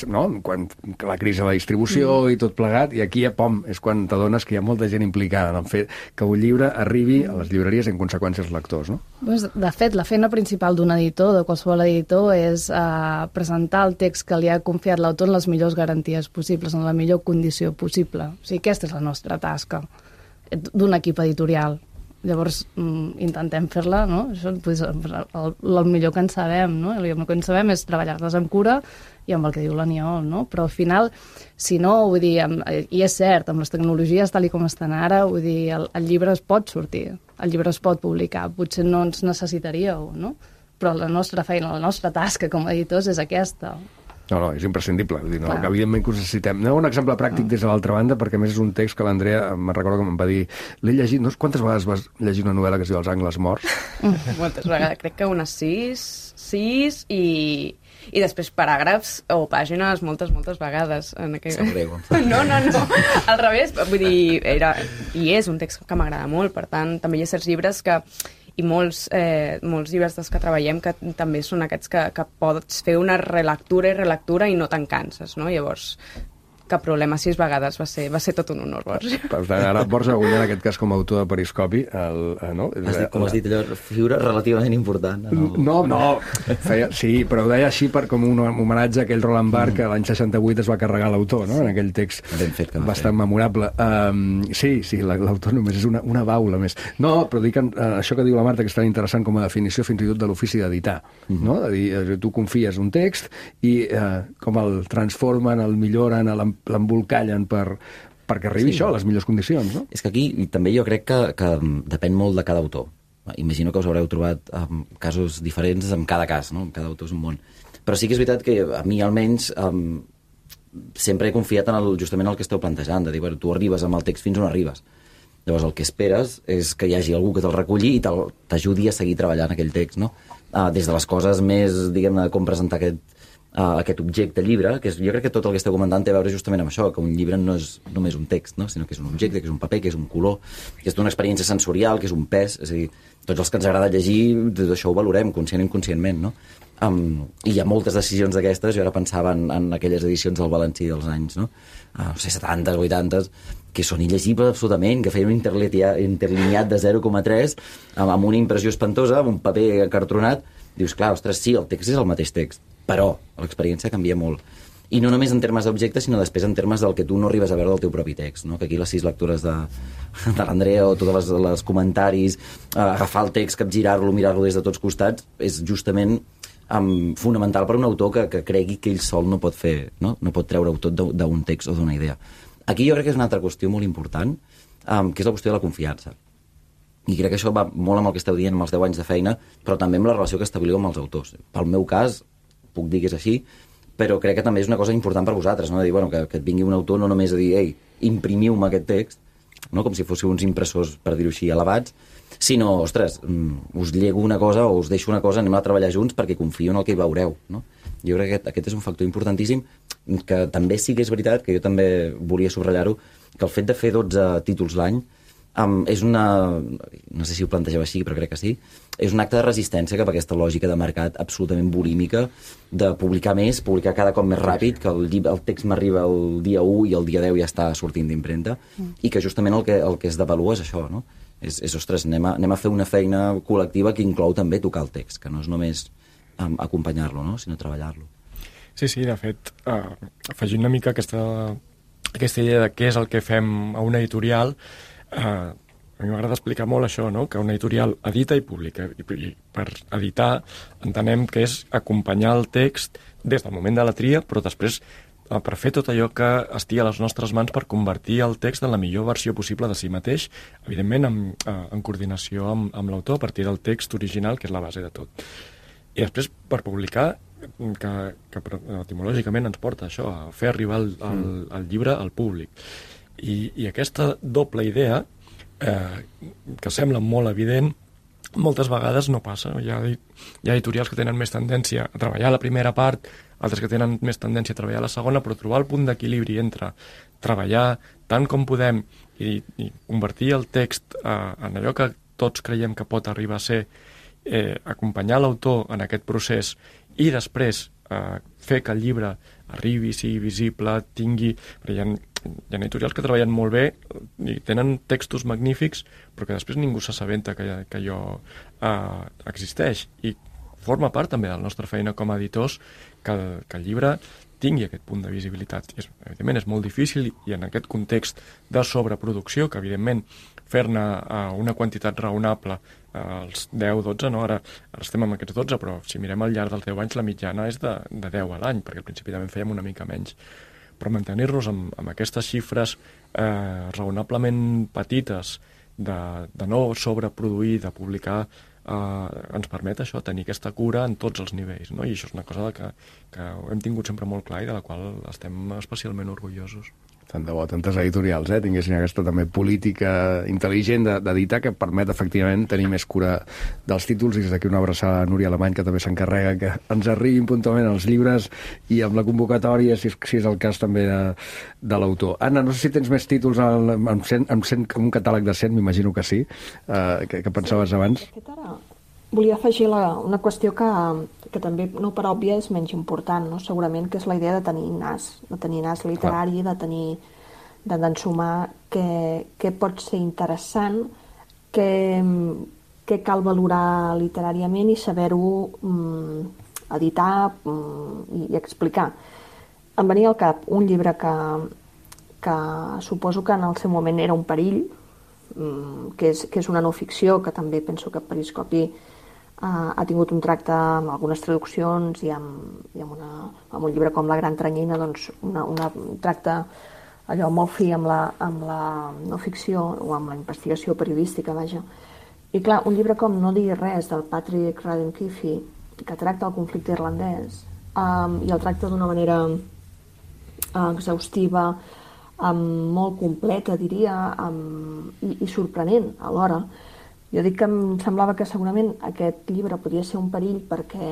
Speaker 1: no? Quan la crisi de la distribució i tot plegat, i aquí, és quan t'adones que hi ha molta gent implicada en el fet que un llibre arribi a les llibreries i en conseqüència als lectors, no?
Speaker 4: De fet, la feina principal d'un editor, de qualsevol editor, és presentar el text que li ha confiat l'autor en les millors garanties possibles, en la millor condició possible. O sigui, aquesta és la nostra tasca d'un equip editorial. Llavors, intentem fer-la, no? Això, el millor que en sabem, no? El millor que en sabem és treballar-les amb cura i amb el que diu l'Aniol, no? Però al final, si no, vull dir, i és cert, amb les tecnologies tal com estan ara, vull dir, el llibre es pot sortir, el llibre es pot publicar, potser no ens necessitaríeu, no? Però la nostra feina, la nostra tasca com a editors és aquesta.
Speaker 1: No, és imprescindible. Vull dir, que evidentment que ho necessitem. Un exemple pràctic des de l'altra banda, perquè a més és un text que l'Andrea, me'n recordo que em va dir, l'he llegit, no sé quantes vegades vas llegir una novel·la que es diu Els angles morts?
Speaker 6: Moltes vegades, crec que unes 6 i després paràgrafs o pàgines moltes vegades. No, al revés, vull dir, és un text que m'agrada molt, per tant, també hi ha certs llibres que i molts llibres dels que treballem que també són aquests que pots fer una relectura i no te'n canses, no? Llavors, cap problema, 6 vegades va ser tot un honor, Borja.
Speaker 1: Per tant, ara Borja Agullà, en aquest cas com a autor de Periscopi, no?
Speaker 8: Com has dit allò, figura relativament important.
Speaker 1: Sí, però ho deia així com un homenatge a aquell Roland Barthes que l'any 68 es va carregar l'autor, no? En aquell text bastant memorable. Sí, l'autor només és una baula més. No, però dic això que diu la Marta, que és tan interessant com a definició fins i tot de l'ofici d'editar, no? Tu confies un text i com el transformen, el milloren, l'embolcallen perquè arribi això a les millors condicions, no?
Speaker 8: És que aquí també jo crec que depèn molt de cada autor. Imagino que us haureu trobat casos diferents en cada cas, no? Cada autor és un món. Però sí que és veritat que a mi almenys sempre he confiat en justament el que esteu plantejant, de dir, tu arribes amb el text fins on arribes. Llavors el que esperes és que hi hagi algú que te'l reculli i t'ajudi a seguir treballant aquell text, no? Des de les coses més, diguem-ne, com presentar aquest objecte llibre, que jo crec que tot el que esteu comentant té a veure justament amb això, que un llibre no és només un text, no? Sinó que és un objecte, que és un paper, que és un color, que és una experiència sensorial, que és un pes, és a dir, tots els que ens agrada llegir, tot això ho valorem, conscient i inconscientment, no? I hi ha moltes decisions d'aquestes, jo ara pensava en aquelles edicions del Valencí dels anys, no? No sé, 70, 80, que són il·legibles absolutament, que feien un interlineat de 0,3 amb una impressió espantosa, amb un paper acartronat. Dius, clar, ostres, sí, el text és el mateix text, però l'experiència canvia molt. I no només en termes d'objecte, sinó després en termes del que tu no arribes a veure del teu propi text, no? Que aquí les 6 lectures de l'Andrea o tots els comentaris, agafar el text, capgirar-lo, mirar-lo des de tots costats, és justament fonamental per un autor que cregui que ell sol no pot fer, no pot treure-ho tot d'un text o d'una idea. Aquí jo crec que és una altra qüestió molt important, que és la qüestió de la confiança. I crec que això va molt amb el que esteu dient amb els 10 anys de feina, però també amb la relació que establiu amb els autors. Pel meu cas, puc dir que és així, però crec que també és una cosa important per vosaltres, no? De dir, bueno, que et vingui un autor no només a dir, ei, imprimiu-me aquest text, no? Com si fóssiu uns impressors, per dir-ho així, elevats, sinó, ostres, us llego una cosa o us deixo una cosa, anem a treballar junts perquè confio en el que hi veureu, no? Jo crec que aquest és un factor importantíssim, que també sí que és veritat, que jo també volia subratllar-ho, que el fet de fer 12 títols l'any és no sé si ho plantegeu així, però crec que sí, és un acte de resistència cap a aquesta lògica de mercat absolutament bulímica, de publicar més, publicar cada cop més ràpid, que el text m'arriba el dia 1 i el dia 10 ja està sortint d'impremta, i que justament el que es devalua és això, no? Ostres, anem a fer una feina col·lectiva que inclou també tocar el text, que no és només acompanyar-lo, no? Sinó treballar-lo.
Speaker 5: Sí, de fet, afegint una mica aquesta idea de què és el que fem a una editorial, a mi m'agrada explicar molt això, no? Que una editorial edita i publica, i per editar entenem que és acompanyar el text des del moment de la tria, però després per fer tot allò que estigui a les nostres mans per convertir el text en la millor versió possible de si mateix, evidentment en coordinació amb l'autor a partir del text original, que és la base de tot. I després, per publicar, que etimològicament ens porta això, a fer arribar el llibre al públic. I aquesta doble idea, que sembla molt evident, moltes vegades no passa. Hi ha editorials que tenen més tendència a treballar la primera part, altres que tenen més tendència a treballar la segona, però trobar el punt d'equilibri entre treballar tant com podem i convertir el text en allò que tots creiem que pot arribar a ser, acompanyar l'autor en aquest procés i després fer que el llibre arribi, sigui visible, tingui... Hi ha editorials que treballen molt bé i tenen textos magnífics, però que després ningú s'assabenta que allò existeix. I forma part també de la nostra feina com a editors que el llibre tingui aquest punt de visibilitat. Evidentment és molt difícil i en aquest context de sobreproducció, que evidentment fer-ne una quantitat raonable als 10-12, no? Ara estem amb aquests 12, però si mirem al llarg dels 10 anys la mitjana és de 10 a l'any, perquè al principi també fèiem una mica menys. Però mantenir-nos amb aquestes xifres raonablement petites de no sobreproduir, de publicar, ens permet això, tenir aquesta cura en tots els nivells, no? I això és una cosa que hem tingut sempre molt clar i de la qual estem especialment orgullosos.
Speaker 1: Tant de bo, tantes editorials tinguessin aquesta també política intel·ligent d'editar que permet efectivament tenir més cura dels títols, i des d'aquí una abraçada a Núria Alemany, que també s'encarrega que ens arribin puntualment els llibres i amb la convocatòria, si és el cas també de l'autor. Anna, no sé si tens més títols amb un catàleg de 100, m'imagino que sí, que pensaves abans.
Speaker 9: De fet, ara volia afegir una qüestió que també, no per òbvia, és menys important, no? Segurament, que és la idea de tenir nas literari, d'ensumar què pot ser interessant, què cal valorar literàriament i saber-ho editar i explicar. Em venia al cap un llibre que suposo que en el seu moment era un perill, que és una no ficció, que també penso que Periscopi ha tingut un tracte amb algunes traduccions i amb un llibre com La gran tranyina, doncs un tracte allò molt fi amb la no ficció o amb la investigació periodística, vaja. I clar, un llibre com No diguis res, del Patrick Radden Keefe, que tracta el conflicte irlandès i el tracta d'una manera exhaustiva, molt completa, diria, i sorprenent alhora. Jo dic que em semblava que segurament aquest llibre podia ser un perill perquè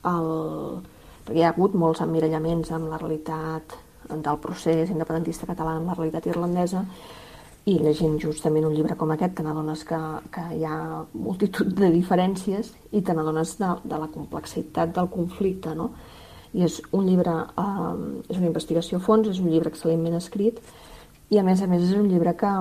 Speaker 9: hi ha hagut molts emmirallaments amb la realitat del procés independentista català, amb la realitat irlandesa, i llegint justament un llibre com aquest te n'adones que hi ha multitud de diferències i te n'adones de la complexitat del conflicte, no? I és un llibre, és una investigació a fons, és un llibre excel·lentment escrit i a més és un llibre que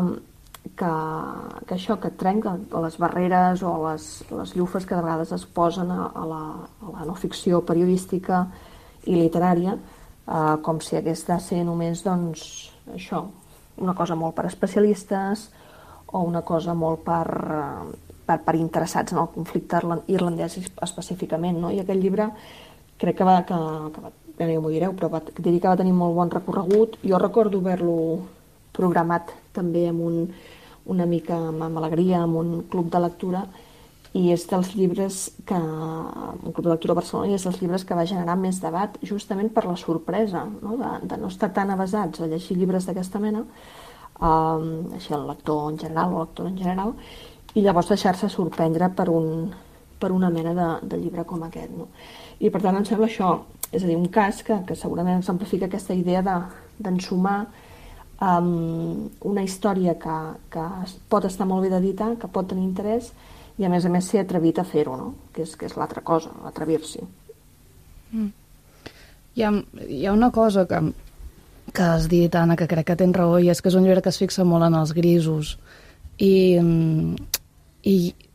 Speaker 9: trenca les barreres o les llufes que de vegades es posen a la no ficció periodística i literària, com si hagués de ser només, doncs, això, una cosa molt per especialistes o una cosa molt per interessats en el conflicte irlandès específicament, no? I aquest llibre crec que ja m'ho direu, però diria que va tenir molt bon recorregut. Jo recordo haver-lo programat també amb una mica amb alegria, amb un club de lectura, i és dels llibres un club de lectura a Barcelona, i és dels llibres que va generar més debat justament per la sorpresa, no? De no estar tan avesats a llegir llibres d'aquesta mena, així el lector en general o lectora en general, i llavors deixar-se sorprendre per una mena de llibre com aquest, no? I per tant em sembla això, és a dir, un cas que segurament exemplifica aquesta idea d'ensumar una història que pot estar molt bé d'editar, que pot tenir interès, i a més ser atrevit a fer-ho, no? Que és l'altra cosa, atrevir-s'hi.
Speaker 4: Hi ha una cosa que has dit, Anna, que crec que tens raó, i és que és un llibre que es fixa molt en els grisos, i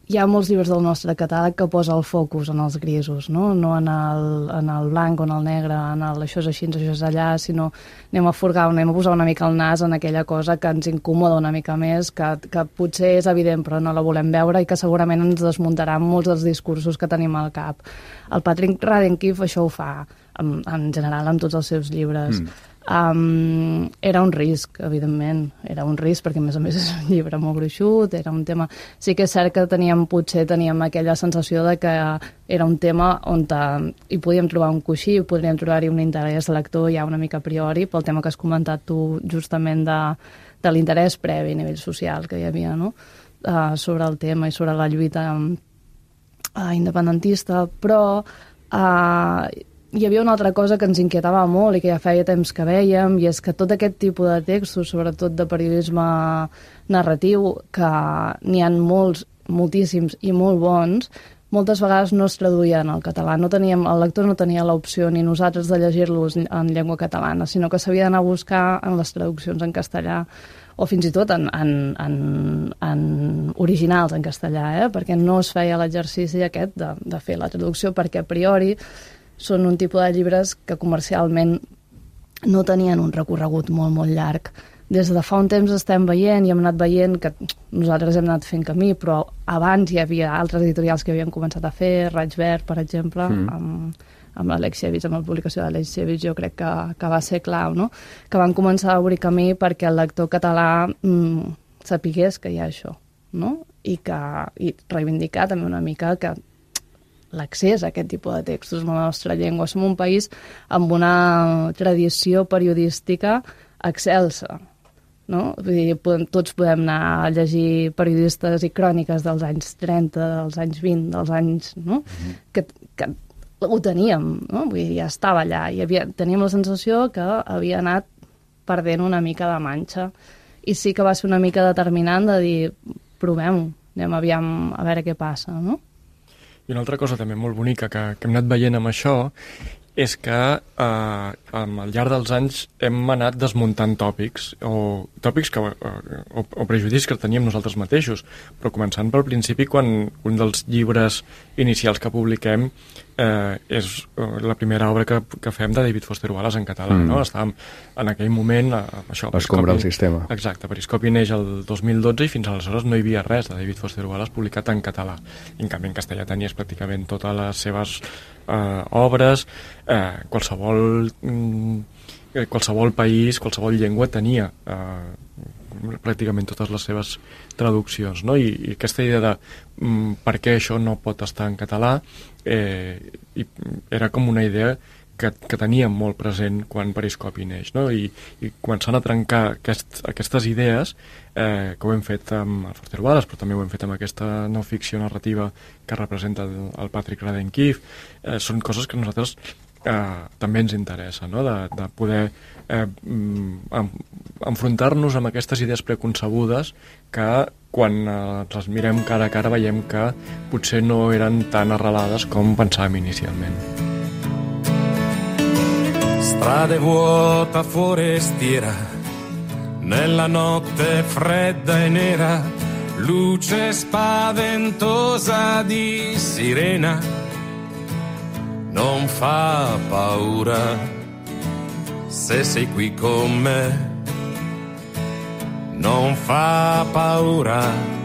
Speaker 4: hi ha molts llibres del nostre catàleg que posa el focus en els grisos, no en el blanc o en el negre, en el això és així, això és allà, sinó anem a posar una mica el nas en aquella cosa que ens incomoda una mica més, que potser és evident però no la volem veure i que segurament ens desmuntarà molts dels discursos que tenim al cap. El Patrick Radden Keefe això ho fa en general en tots els seus llibres. Era un risc, evidentment, era un risc perquè a més és un llibre molt gruixut, era un tema... Sí que és cert que teníem aquella sensació de que era un tema on hi podíem trobar un coixí, podríem trobar-hi un interès lector ja una mica a priori, pel tema que has comentat tu justament de l'interès previ a nivell social que hi havia, no? sobre el tema i sobre la lluita independentista, però hi havia una altra cosa que ens inquietava molt i que ja feia temps que vèiem, i és que tot aquest tipus de textos, sobretot de periodisme narratiu, que n'hi ha molts, moltíssims i molt bons, moltes vegades no es traduïen al català. El lector no tenia l'opció ni nosaltres de llegir-los en llengua catalana, sinó que s'havia d'anar a buscar en les traduccions en castellà, o fins i tot en originals en castellà, perquè no es feia l'exercici aquest de fer la traducció, perquè a priori són un tipus de llibres que comercialment no tenien un recorregut molt, molt llarg. Des de fa un temps estem veient i hem anat veient que nosaltres hem anat fent camí, però abans hi havia altres editorials que havien començat a fer, Raig Verd, per exemple, amb l'Alexievich, amb la publicació d'Alexievich, jo crec que va ser clau, no? Que van començar a obrir camí perquè el lector català sapigués que hi ha això, no? I reivindicar també una mica que l'accés a aquest tipus de textos en la nostra llengua. Som un país amb una tradició periodística excelsa, no? Vull dir, tots podem anar a llegir periodistes i cròniques dels anys 30, dels anys 20, dels anys... No? Que ho teníem, no? Vull dir, ja estava allà i teníem la sensació que havia anat perdent una mica de manxa, i sí que va ser una mica determinant de dir, provem-ho, anem aviam a veure què passa, no?
Speaker 5: I una altra cosa també molt bonica que hem anat veient amb això és que al llarg dels anys hem anat desmuntant tòpics o prejudicis que teníem nosaltres mateixos, però començant pel principi, quan un dels llibres inicials que publiquem és la primera obra que fem de David Foster Wallace en català, no? Estàvem en aquell moment
Speaker 1: escombrar el sistema.
Speaker 5: Exacte, Periscopi neix el 2012 i fins aleshores no hi havia res de David Foster Wallace publicat en català. I en canvi en castellà tenies pràcticament totes les seves obres, qualsevol país, qualsevol llengua tenia pràcticament totes les seves traduccions, no? I aquesta idea de per què això no pot estar en català era com una idea que teníem molt present quan Periscopi neix, no? I començant a trencar aquestes idees, que ho hem fet amb el Foster Wallace, però també ho hem fet amb aquesta no ficció narrativa que representa el Patrick Radden Keefe, són coses que a nosaltres també ens interessa, no? De poder enfrontar-nos amb aquestes idees preconcebudes que quan les mirem cara a cara veiem que potser no eren tan arrelades com pensàvem inicialment.
Speaker 10: Strade vuota forestiera, nella notte fredda e nera, luce spaventosa di sirena, non fa paura se sei qui con me, non fa paura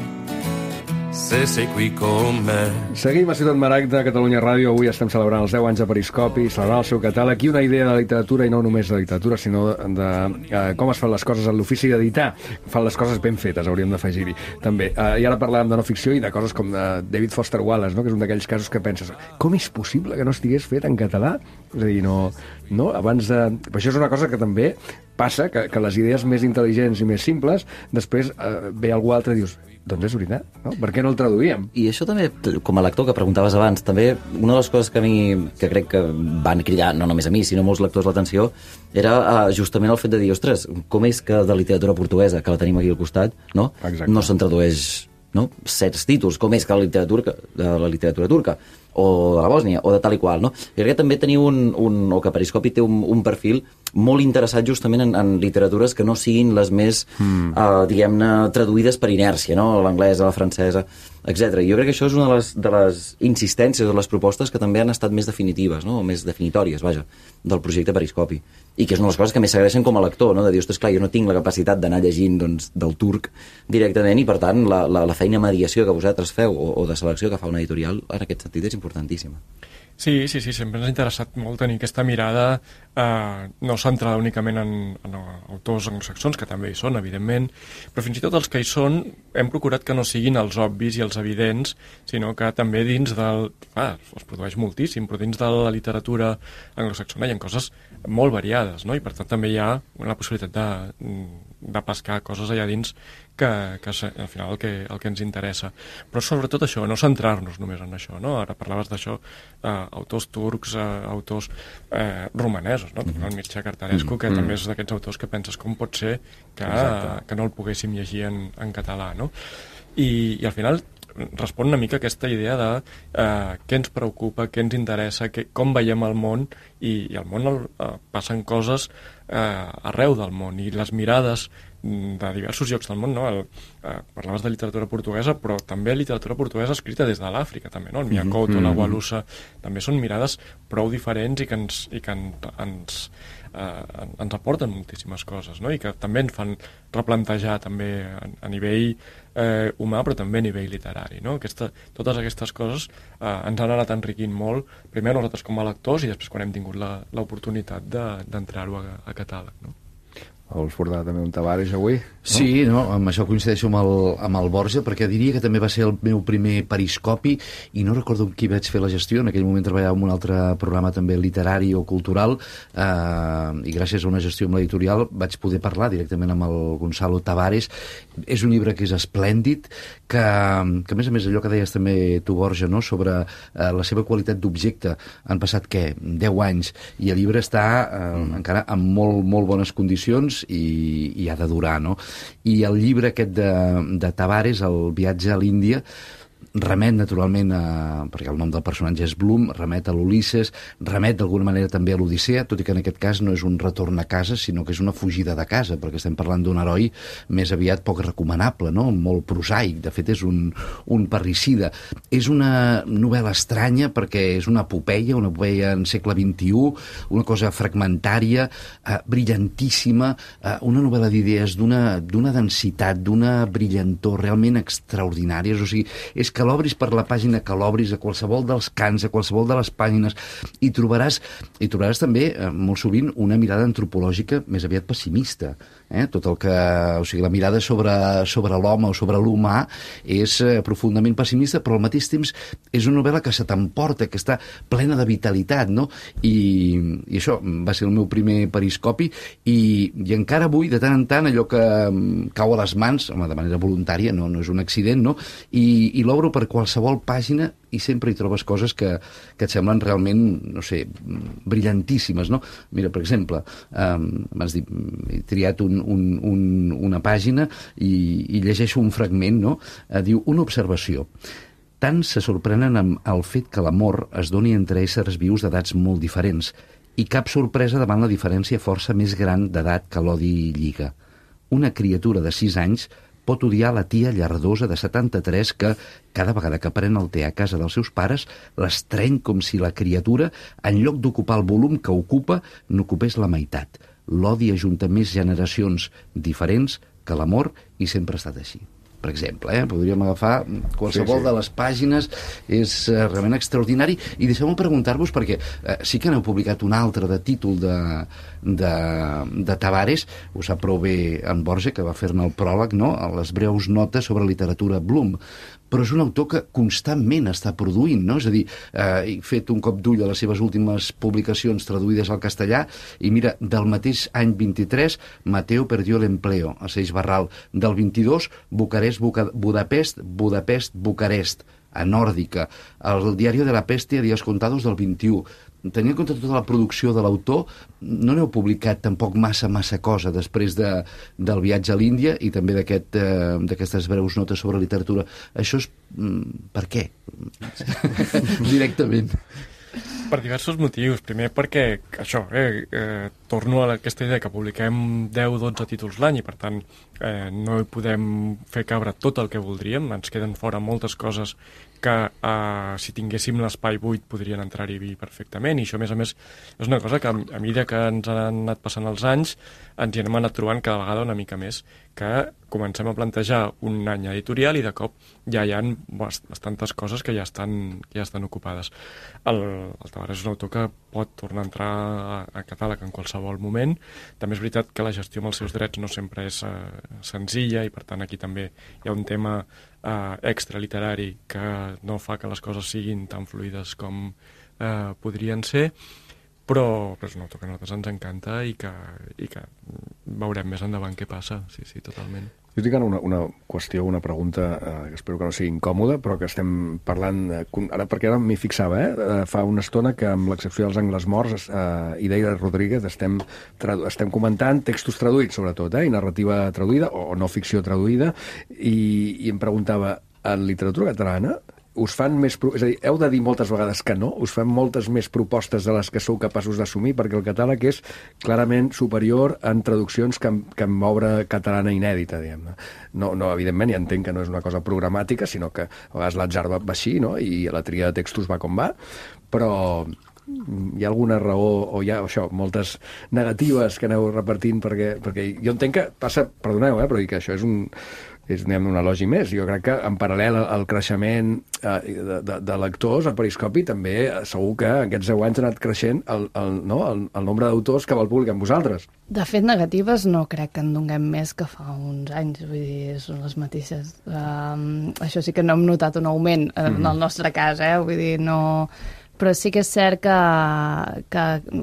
Speaker 10: se sei qui con me.
Speaker 1: Seguim a Ciutat Maragda, Catalunya Ràdio. Avui estem celebrant els 10 anys de Periscopi, celebrant el seu catàleg i una idea de literatura, i no només de literatura, sinó de com es fan les coses en l'ofici d'editar. Fan les coses ben fetes, hauríem d'afegir-hi. També. I ara parlàvem de no ficció i de coses com de David Foster Wallace, no? Que és un d'aquells casos que penses, com és possible que no estigués fet en català? És a dir, no? Abans de... Però això és una cosa que també passa, que les idees més intel·ligents i més simples, després ve algú altre i dius, doncs és veritat, no? Per què no el traduïem?
Speaker 8: I això també, com a lector que preguntaves abans, també una de les coses que a mi, que crec que van cridar, no només a mi, sinó molts lectors l'atenció, era justament el fet de dir, ostres, com és que de literatura portuguesa, que la tenim aquí al costat, no?
Speaker 1: Exacte.
Speaker 8: No se'n tradueix, no? Certs títols, com és que de la literatura turca, o de la Bòsnia, o de tal i qual, no? I crec que també teniu o que Periscopi té un perfil molt interessat justament en literatures que no siguin les més, diguem-ne, traduïdes per inèrcia, no? L'anglesa, la francesa, etc. I jo crec que això és una de les insistències o les propostes que també han estat més definitives, no? O més definitòries, vaja, del projecte Periscopi. I que és una de les coses que més s'agraeixen com a lector, no? De dir, ostres, clar, jo no tinc la capacitat d'anar llegint, doncs, del turc directament, i per tant la feina de mediació que vosaltres feu o de selecció que fa una editorial en aquest sentit és importantíssima.
Speaker 5: Sí, sempre ens ha interessat molt tenir aquesta mirada no centrada únicament en autors anglosaxons, que també hi són, evidentment, però fins i tot els que hi són hem procurat que no siguin els obvis i els evidents, sinó que també dins del... es produeix moltíssim, però dins de la literatura anglosaxona hi ha coses molt variades, no? I per tant també hi ha la possibilitat de pescar coses allà dins que al final el que ens interessa. Però sobretot això, no centrar-nos només en això, no? Ara parlaves d'això, autors turcs, autors romanesos, no? El Mircea Cartarescu, que també és d'aquests autors que penses com pot ser que no el poguéssim llegir en català, no? I al final respon una mica a aquesta idea de què ens preocupa, què ens interessa, com veiem el món, i al món passen coses arreu del món, i les mirades de diversos llocs del món, no? Parlaves de literatura portuguesa, però també literatura portuguesa escrita des de l'Àfrica, també, no? El Miyakoto, la Walusa, també són mirades prou diferents i que ens aporten moltíssimes coses, no? I que també ens fan replantejar també a nivell humà, però també a nivell literari, no? Totes aquestes coses ens han anat enriquint molt, primer nosaltres com a lectors i després quan hem tingut l'oportunitat d'entrar-ho a catàleg, no?
Speaker 1: Vols portar també un Tavares avui?
Speaker 7: Sí, no? Amb això coincideixo amb el Borja, perquè diria que també va ser el meu primer periscopi, i no recordo amb qui vaig fer la gestió. En aquell moment treballava en un altre programa també literari o cultural, i gràcies a una gestió amb l'editorial vaig poder parlar directament amb el Gonzalo Tavares. És un llibre que és esplèndid, que a més allò que deies també tu, Borja, no? Sobre la seva qualitat d'objecte. Han passat, 10 anys, i el llibre està encara en molt, molt bones condicions, i ha de durar, no? I el llibre aquest de Tavares, El viatge a l'Índia, remet naturalment perquè el nom del personatge és Bloom, remet a l'Ulisses, remet d'alguna manera també a l'Odissea, tot i que en aquest cas no és un retorn a casa, sinó que és una fugida de casa, perquè estem parlant d'un heroi més aviat poc recomanable, no? Molt prosaic, de fet és un parricida. És una novel·la estranya perquè és una epopeia en segle XXI, una cosa fragmentària, brillantíssima, una novel·la d'idees d'una densitat, d'una brillantor realment extraordinàries. O sigui, és que l'obris per la pàgina que l'obris, a qualsevol dels cants, a qualsevol de les pàgines, i trobaràs també, molt sovint, una mirada antropològica més aviat pessimista. Tot el que... O sigui, la mirada sobre l'home o sobre l'humà és profundament pessimista, però al mateix temps és una novel·la que se t'emporta, que està plena de vitalitat, no? I això va ser el meu primer periscopi, i encara avui, de tant en tant, allò que cau a les mans, home, de manera voluntària, no és un accident, no? I l'obro per qualsevol pàgina i sempre hi trobes coses que et semblen realment, no sé, brillantíssimes, no? Mira, per exemple, m'has dit, he triat una pàgina i llegeixo un fragment, no? Diu, una observació. Tant se sorprenen amb el fet que l'amor es doni entre éssers vius d'edats molt diferents, i cap sorpresa davant la diferència força més gran d'edat que l'odi lliga. Una criatura de 6 anys pot odiar la tia llardosa de 73 que, cada vegada que pren el té a casa dels seus pares, l'estreny com si la criatura, en lloc d'ocupar el volum que ocupa, n'ocupés la meitat. L'odi ajunta més generacions diferents que l'amor, i sempre ha estat així. Per exemple, podríem agafar qualsevol de les pàgines, és realment extraordinari. I deixeu-me preguntar-vos, perquè sí que n'heu publicat un altre de títol de Tavares, ho sap prou bé en Borja, que va fer-ne el pròleg, no? Les breus notes sobre literatura Bloom. Però és un autor que constantment està produint, no? És a dir, he fet un cop d'ull a les seves últimes publicacions traduïdes al castellà, i mira, del mateix any 23, Mateo perdió l'empleo, a Seix Barral. Del 22, Budapest, Bucarest, a Nòrdica. El Diario de la Peste a Días Contados del 21. Tenint en compte tota la producció de l'autor, no n'heu publicat tampoc massa cosa després del viatge a l'Índia i també d'aquestes breus notes sobre literatura. Això és... per què? Directament.
Speaker 5: Per diversos motius. Primer perquè, això, torno a aquesta idea que publiquem 10-12 títols l'any i, per tant, no hi podem fer cabre tot el que voldríem. Ens queden fora moltes coses que, si tinguéssim l'espai buit, podrien entrar-hi perfectament. I això, a més, és una cosa que, a mesura que ens han anat passant els anys, ens hi hem anat trobant cada vegada una mica més, que comencem a plantejar un any editorial i de cop ja hi ha bastantes coses que ja estan ocupades. El Tavares és un autor que pot tornar a entrar a catàleg en qualsevol moment. També és veritat que la gestió amb els seus drets no sempre és senzilla, i per tant aquí també hi ha un tema extraliterari que no fa que les coses siguin tan fluides com podrien ser, però és un autor que a nosaltres ens encanta i que veurem més endavant què passa, sí, totalment.
Speaker 1: Jo tinc ara una qüestió, una pregunta que espero que no sigui incòmoda, però que estem parlant, perquè ara m'hi fixava, fa una estona que amb l'excepció dels Angles Morts, Ideia Rodríguez, estem comentant textos traduïts, sobretot, i narrativa traduïda, o no ficció traduïda, i em preguntava, en literatura catalana, us fan més... És a dir, heu de dir moltes vegades que no? Us fan moltes més propostes de les que sou capaços d'assumir? Perquè el catàleg és clarament superior en traduccions que en obra catalana inèdita, diguem-ne. No, evidentment, ja entenc que no és una cosa programàtica, sinó que a vegades l'atzar va així, no? I la tria de textos va com va, però hi ha alguna raó, o hi ha això, moltes negatives que aneu repartint, perquè jo entenc que passa, perdoneu, però que això és un elogi més. Jo crec que en paral·lel al creixement de lectors, el Periscopi també segur que aquests 10 anys ha anat creixent el nombre d'autors que vol publicar amb vosaltres.
Speaker 4: De fet, negatives no crec que en donem més que fa uns anys, vull dir, són les mateixes. Això sí que no hem notat un augment en el nostre cas, vull dir, no... Però sí que és cert que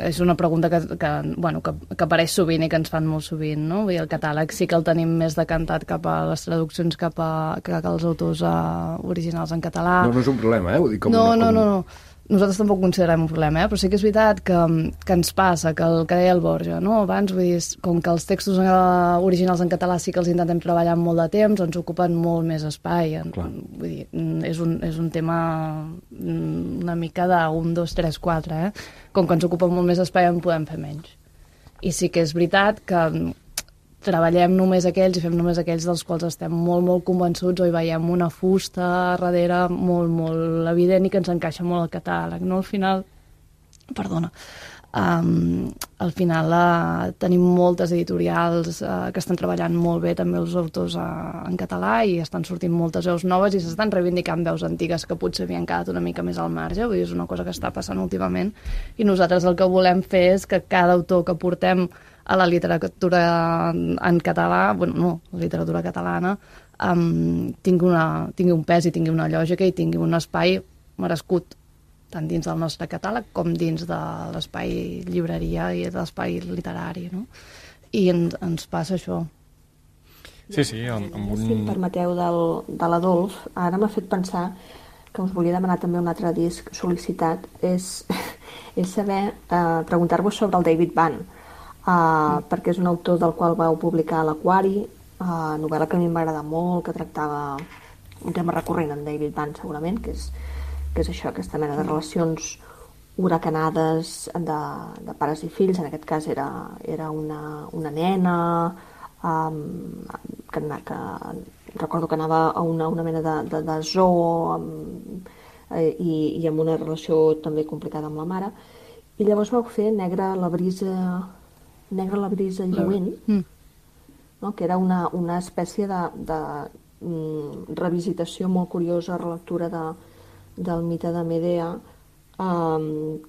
Speaker 4: és una pregunta que apareix sovint i que ens fan molt sovint, no? Vull dir, el catàleg sí que el tenim més decantat cap a les traduccions que als autors originals en català.
Speaker 1: No és un problema, vull dir,
Speaker 4: No. Nosaltres tampoc considerem un problema, però sí que és veritat que ens passa, que el que deia el Borja, no? Abans, vull dir, com que els textos originals en català sí que els intentem treballar molt de temps, ens ocupen molt més espai. Vull dir, és un tema una mica de 1, 2, 3, 4, Com que ens ocupen molt més espai en podem fer menys. I sí que és veritat que treballem només aquells i fem només aquells dels quals estem molt, molt convençuts o hi veiem una fusta darrere molt, molt evident i que ens encaixa molt al catàleg, no? Al final tenim moltes editorials que estan treballant molt bé també els autors en català i estan sortint moltes veus noves i s'estan reivindicant veus antigues que potser havien quedat una mica més al marge, vull dir, és una cosa que està passant últimament i nosaltres el que volem fer és que cada autor que portem a la literatura en català, la literatura catalana, tingui un pes i tingui una lògica i tingui un espai merescut, tant dins del nostre catàleg com dins de l'espai llibreria i de l'espai literari, no? I ens passa això.
Speaker 5: Sí,
Speaker 9: Si em permeteu, de l'Adolf, ara m'ha fet pensar que us volia demanar també un altre disc sol·licitat, és saber, preguntar-vos sobre el David Bann, perquè és un autor del qual vau publicar l'Aquari, novel·la que a mi em va agradar molt, que tractava un tema recurrent en David Bann segurament, que és això, aquesta mena de relacions huracanades de pares i fills. En aquest cas era una nena que recordo que anava a una mena de zoo i amb una relació també complicada amb la mare, i llavors vau fer Negra la brisa lluent, no? Que era una espècie de revisitació molt curiosa, relectura del mite de Medea,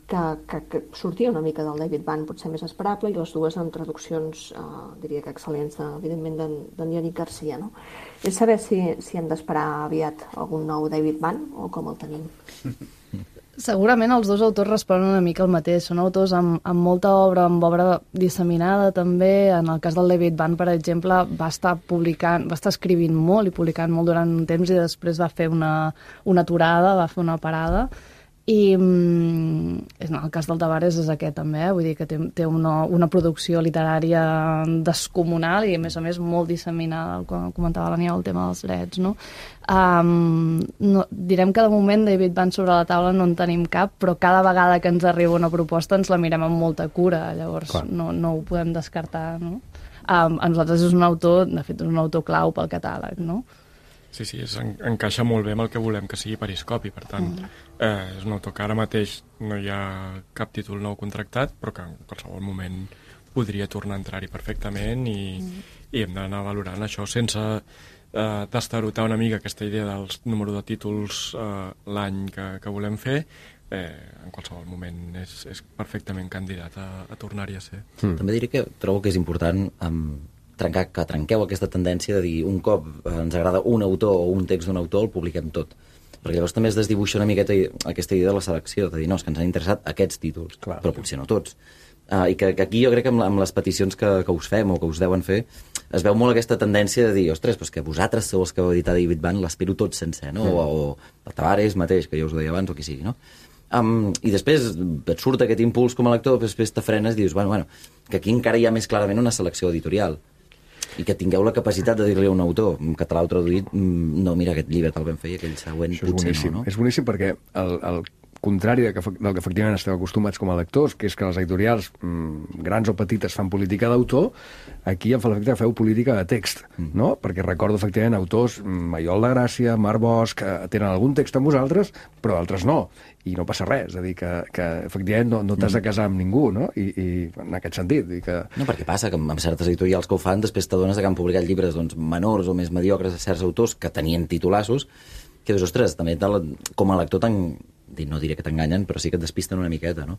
Speaker 9: que sortia una mica del David Bann, potser més esperable, i les dues amb traduccions, diria que excel·lents, evidentment, d'en Yannick Garcia, no? És saber si hem d'esperar aviat algun nou David Bann o com el tenim.
Speaker 4: Segurament els dos autors responen una mica el mateix. Són autors amb molta obra, amb obra disseminada també. En el cas del David Bann, per exemple, va estar escrivint molt i publicant molt durant un temps i després va fer una aturada, va fer una parada. I en el cas del Tavares és aquest també, vull dir que té una producció literària descomunal i a més molt disseminada, com comentava l'Aniol, el tema dels drets, no? Direm que de moment David Bann sobre la taula no en tenim cap, però cada vegada que ens arriba una proposta ens la mirem amb molta cura, llavors no ho podem descartar, no? A nosaltres és un autor, de fet és un autor clau pel catàleg, no?
Speaker 5: Sí, encaixa molt bé amb el que volem que sigui Periscopi, per tant, és un autor que ara mateix no hi ha cap títol nou contractat, però que en qualsevol moment podria tornar a entrar-hi perfectament i hem d'anar valorant això sense destarotar una mica aquesta idea dels número de títols l'any que volem fer. En qualsevol moment és perfectament candidat a tornar-hi a ser.
Speaker 8: També diré que trobo que és important que trenqueu aquesta tendència de dir un cop ens agrada un autor o un text d'un autor el publiquem tot, perquè llavors també es desdibuixa una miqueta aquesta idea de la selecció, de dir no, és que ens han interessat aquests títols, però potser no tots, i que aquí jo crec que amb les peticions que us fem o que us deuen fer es veu molt aquesta tendència de dir, ostres, però que vosaltres sou els que vau editar David Band, l'espero tot sencer, no? O el Tavares mateix, que ja us ho deia abans, o qui sigui, no? I després et surt aquest impuls com a lector, després te frenes i dius, bueno, que aquí encara hi ha més clarament una selecció editorial i que tingueu la capacitat de dir-li a un autor en català o traduït, no, mira, aquest llibre te'l vam fer i aquell següent potser no?
Speaker 1: És boníssim perquè el contrari del que efectivament esteu acostumats com a lectors, que és que les editorials grans o petites fan política d'autor, aquí em fa l'efecte que feu política de text, no? Perquè recordo efectivament autors, Maiol de Gràcia, Marc Bosch, que tenen algun text amb vosaltres, però d'altres no, i no passa res, és a dir, que efectivament no t'has de casar amb ningú, no? I en aquest sentit.
Speaker 8: No, perquè passa que amb certes editorials que ho fan, després t'adones que han publicat llibres menors o més mediocres de certs autors que tenien titulassos, que dius, ostres, també com a lector no diré que t'enganyen, però sí que et despisten una miqueta, no?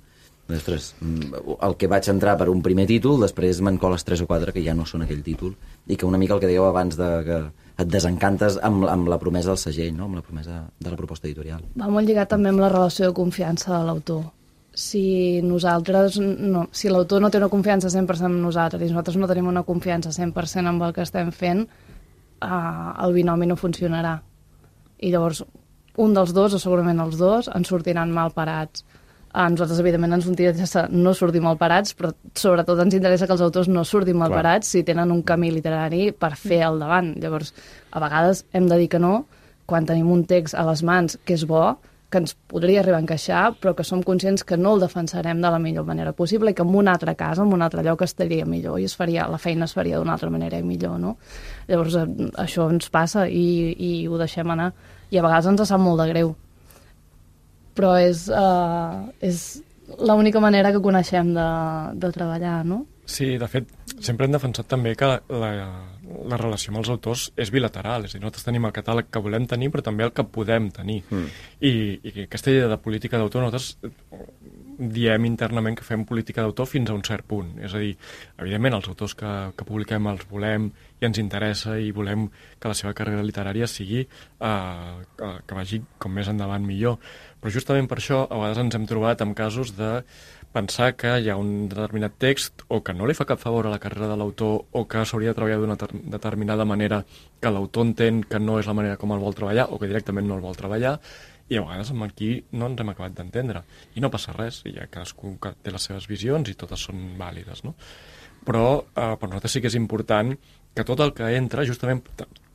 Speaker 8: Ostres, el que vaig entrar per un primer títol, després me'n coles 3 o 4 que ja no són aquell títol, i que una mica el que dèieu abans que et desencantes amb la promesa del segell, no? Amb la promesa de la proposta editorial.
Speaker 4: Va molt lligat també amb la relació de confiança de l'autor. Si l'autor no té una confiança 100% en nosaltres i nosaltres no tenim una confiança 100% en el que estem fent, el binomi no funcionarà. I llavors un dels dos, o segurament els dos, ens sortiran mal parats. A nosaltres, evidentment, ens interessa no sortir mal parats, però sobretot ens interessa que els autors no surtin mal parats si tenen un camí literari per fer al davant. Llavors, a vegades hem de dir que no, quan tenim un text a les mans que és bo, que ens podria arribar a encaixar, però que som conscients que no el defensarem de la millor manera possible i que en un altre cas, en un altre lloc, estaria millor i la feina es faria d'una altra manera i millor, no? Llavors, això ens passa i ho deixem anar. I a vegades ens sap molt de greu. Però és l'única manera que coneixem de treballar, no?
Speaker 5: Sí, de fet, sempre hem defensat també que la relació amb els autors és bilateral, és a dir, nosaltres tenim el catàleg que volem tenir, però també el que podem tenir. I aquesta idea de política d'autor, nosaltres diem internament que fem política d'autor fins a un cert punt. És a dir, evidentment, els autors que publiquem els volem i ens interessa i volem que la seva carrera literària sigui que vagi com més endavant millor. Però justament per això a vegades ens hem trobat amb casos de pensar que hi ha un determinat text o que no li fa cap favor a la carrera de l'autor o que s'hauria de treballar d'una determinada manera que l'autor entén que no és la manera com el vol treballar o que directament no el vol treballar, i a vegades aquí no ens hem acabat d'entendre. I no passa res, hi ha cadascú que té les seves visions i totes són vàlides, no? Però per nosaltres sí que és important que tot el que entra, justament,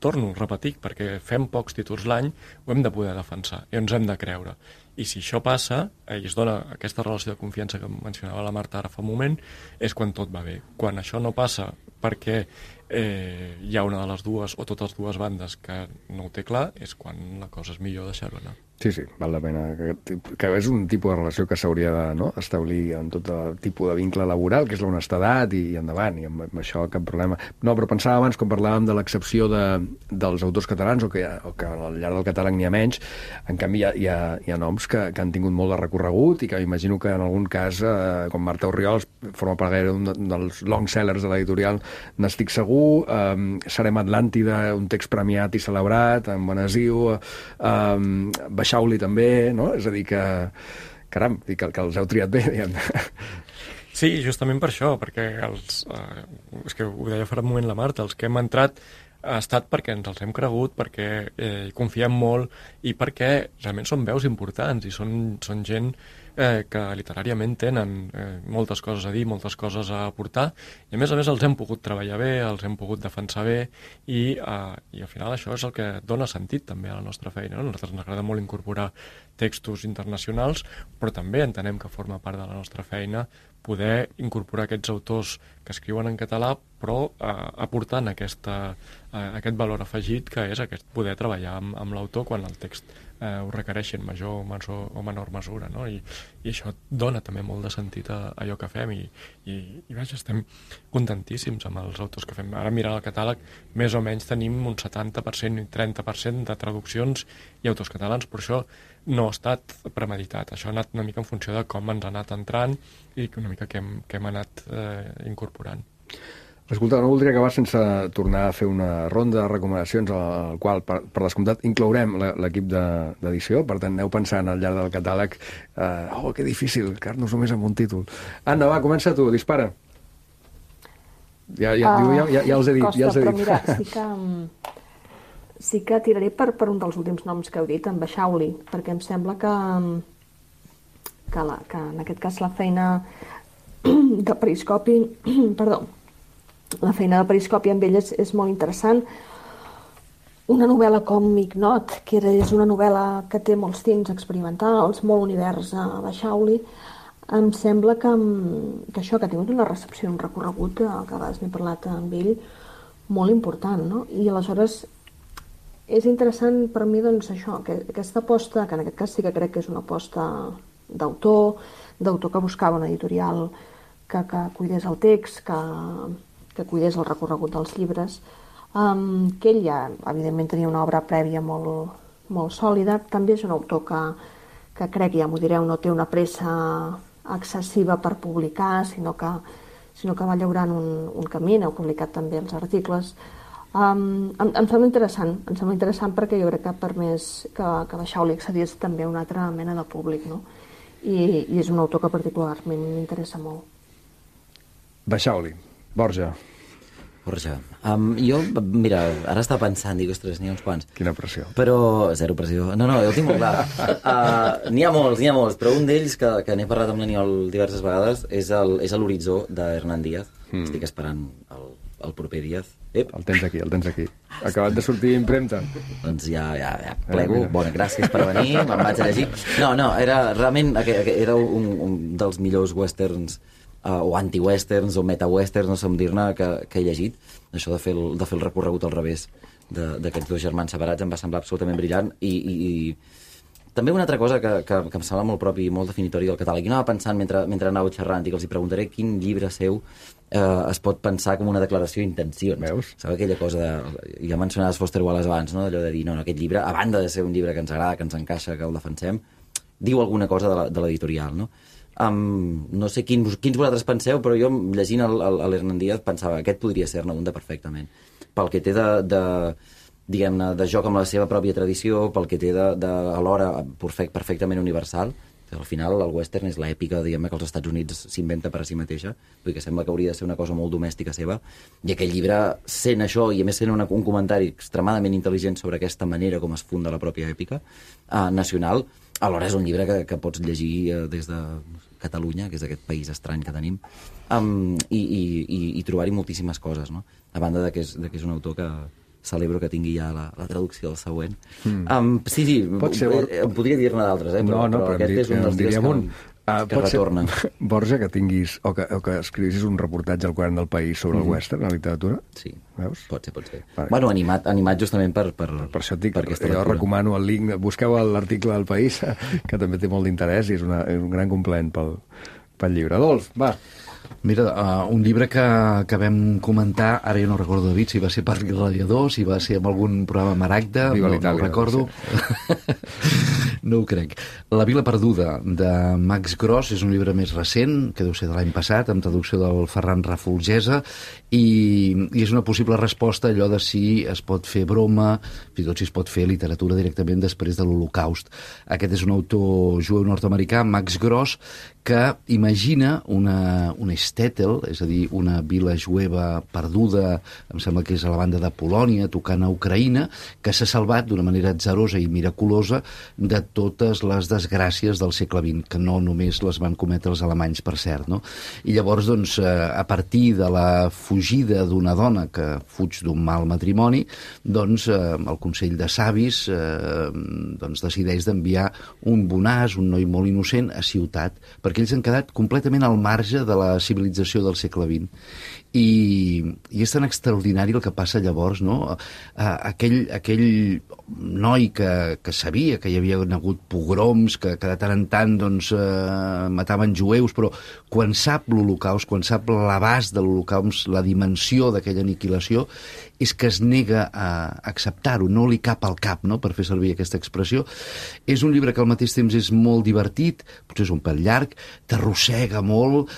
Speaker 5: torno a repetir, perquè fem pocs títols l'any, ho hem de poder defensar i ens hem de creure. I si això passa, i es dona aquesta relació de confiança que mencionava la Marta ara fa un moment, és quan tot va bé. Quan això no passa perquè hi ha una de les dues o totes dues bandes que no ho té clar, és quan la cosa és millor deixar-ho anar.
Speaker 1: Sí, val la pena. Que és un tipus de relació que s'hauria d'establir en tot tipus de vincle laboral, que és l'honestedat i endavant, i amb això cap problema. No, però pensava abans, quan parlàvem de l'excepció dels autors catalans, o que al llarg del catàleg n'hi ha menys, en canvi hi ha noms que han tingut molt de recorregut i que imagino que en algun cas, com Marta Orriols, forma part d'un dels long sellers de l'editorial, n'estic segur, Serem Atlàntida, un text premiat i celebrat, en Benesiu, Baixauli també, no? És a dir que, caram, que els heu triat bé, diguem-ne.
Speaker 5: Sí, justament per això, perquè és que ho deia fa un moment la Marta, els que hem entrat ha estat perquè ens els hem cregut, perquè hi confiem molt i perquè realment són veus importants i són gent que literàriament tenen moltes coses a dir, moltes coses a aportar, i a més els hem pogut treballar bé, els hem pogut defensar bé, i al final això és el que dona sentit també a la nostra feina. A nosaltres ens agrada molt incorporar textos internacionals, però també entenem que forma part de la nostra feina poder incorporar aquests autors que escriuen en català, però aportant aquest valor afegit que és aquest poder treballar amb l'autor quan el text ho requereixi en major o menor mesura, no? I això dona també molt de sentit a allò que fem i vaja, estem contentíssims amb els autors que fem. Ara mirant el catàleg, més o menys tenim un 70% i 30% de traduccions i autors catalans, però això no ha estat premeditat. Això ha anat una mica en funció de com ens ha anat entrant i una mica que hem anat incorporant.
Speaker 1: Escolta, no voldria acabar sense tornar a fer una ronda de recomanacions al qual, per descomptat, inclourem l'equip d'edició. Per tant, aneu pensant al llarg del catàleg que difícil, quedar-nos només amb un títol. Anna, va, comença tu, dispara. Ja els he dit,
Speaker 9: costa,
Speaker 1: ja els he
Speaker 9: però
Speaker 1: dit.
Speaker 9: mira, sí que tiraré per un dels últims noms que heu dit, en Baixauli, perquè em sembla que en aquest cas la feina de periscopi, perdó, la feina de periscopi amb ell és molt interessant. Una novel·la com Ignot, que és una novel·la que té molts tints experimentals, molt univers a Baixauli, em sembla que això, que ha tingut una recepció, un recorregut, que a vegades n'he parlat amb ell, molt important, no? I aleshores és interessant per mi, doncs, això, que aquesta aposta, que en aquest cas sí que crec que és una aposta d'autor que buscava una editorial que cuidés el text, que cuidés el recorregut dels llibres, que ell ja, evidentment, tenia una obra prèvia molt, molt sòlida. També és un autor que crec, ja m'ho direu, no té una pressa excessiva per publicar, sinó que va llaurant un camí, n'heu publicat també els articles. Em sembla interessant perquè jo crec que ha permès que Baixauli accedís també a una altra mena de públic, no? I és un autor que particularment m'interessa molt.
Speaker 1: Baixauli, Borja.
Speaker 8: Jo, mira, ara estava pensant, dic, ostres, n'hi ha uns quants.
Speaker 1: Quina pressió.
Speaker 8: Però, zero pressió. No, jo ho tinc molt clar. N'hi ha molts, però un d'ells que n'he parlat amb l'Aniol diverses vegades és l'Horitzó d'Hernán Díaz. Estic esperant el proper Díaz.
Speaker 1: El tens aquí. Acabat de sortir impremta.
Speaker 8: Doncs ja plego. Bona, gràcies per venir, me'n vaig a llegir. No, realment era un dels millors westerns o anti-westerns o meta-westerns, no sé com dir-ne, que he llegit. Això de fer el recorregut al revés d'aquests dos germans separats em va semblar absolutament brillant i també una altra cosa que em sembla molt propi i molt definitori del català, i que anava pensant mentre anàveu xerrant, i que els hi preguntaré quin llibre seu es pot pensar com una declaració d'intencions.
Speaker 1: Veus?
Speaker 8: Sabeu aquella cosa de... Ja mencionaves Foster Wallace abans, no? Allò de dir, no, aquest llibre, a banda de ser un llibre que ens agrada, que ens encaixa, que el defensem, diu alguna cosa de l'editorial, no? No sé quins vosaltres penseu, però jo llegint l'Hernán Díaz pensava aquest podria ser-ne un de perfectament, pel que té diguem-ne, de joc amb la seva pròpia tradició, pel que té alhora perfectament universal. Al final el western és l'èpica, diguem-ne, que els Estats Units s'inventa per a si mateixa, vull dir que sembla que hauria de ser una cosa molt domèstica seva, i aquell llibre, sent això, i a més sent un comentari extremadament intel·ligent sobre aquesta manera com es funda la pròpia èpica nacional, alhora és un llibre que pots llegir des de Catalunya, que és aquest país estrany que tenim, i trobar-hi moltíssimes coses, no? A banda de que és un autor que celebro que tingui ja la traducció del següent. Sí, em podria dir-ne d'altres, però aquest és un dels dies que retorna.
Speaker 1: Borja, que tinguis, o que escrivissis un reportatge al Quadern del País sobre el western, la literatura?
Speaker 8: Sí,
Speaker 1: veus?
Speaker 8: Pot ser. Bueno, animat justament per
Speaker 1: això et dic,
Speaker 8: aquesta
Speaker 1: jo recomano el link, busqueu l'article del País, que també té molt d'interès i és un gran complement pel llibre. Adolf, va.
Speaker 7: Mira, un llibre que vam comentar, ara jo no recordo, David, si va ser per Gladiador, si va ser en algun programa Maragda, no ho recordo. No ho crec. La Vila perduda, de Max Gross, és un llibre més recent, que deu ser de l'any passat, amb traducció del Ferran Rafolgesa, i és una possible resposta a allò de si es pot fer broma, fins i tot si es pot fer literatura directament després de l'Holocaust. Aquest és un autor jueu nord-americà, Max Gross, que imagina una shtetl, és a dir, una vila jueva perduda, em sembla que és a la banda de Polònia, tocant a Ucraïna, que s'ha salvat d'una manera atzarosa i miraculosa de totes les desgràcies del segle XX, que no només les van cometre els alemanys, per cert, no? I llavors, doncs, a partir de la fugida d'una dona que fuig d'un mal matrimoni, doncs, el Consell de Savis doncs, decideix d'enviar un bonàs, un noi molt innocent, a ciutat, perquè ells han quedat completament al marge de la civilització del segle XX. I és tan extraordinari el que passa llavors, no? Aquell noi que sabia que hi havia hagut pogroms, que de tant en tant doncs, mataven jueus, però quan sap l'Holocaust, quan sap l'abast de l'Holocaust, la dimensió d'aquella aniquilació, és que es nega a acceptar-ho, no li cap al cap, no?, per fer servir aquesta expressió. És un llibre que al mateix temps és molt divertit, potser és un pèl llarg, t'arrossega molt,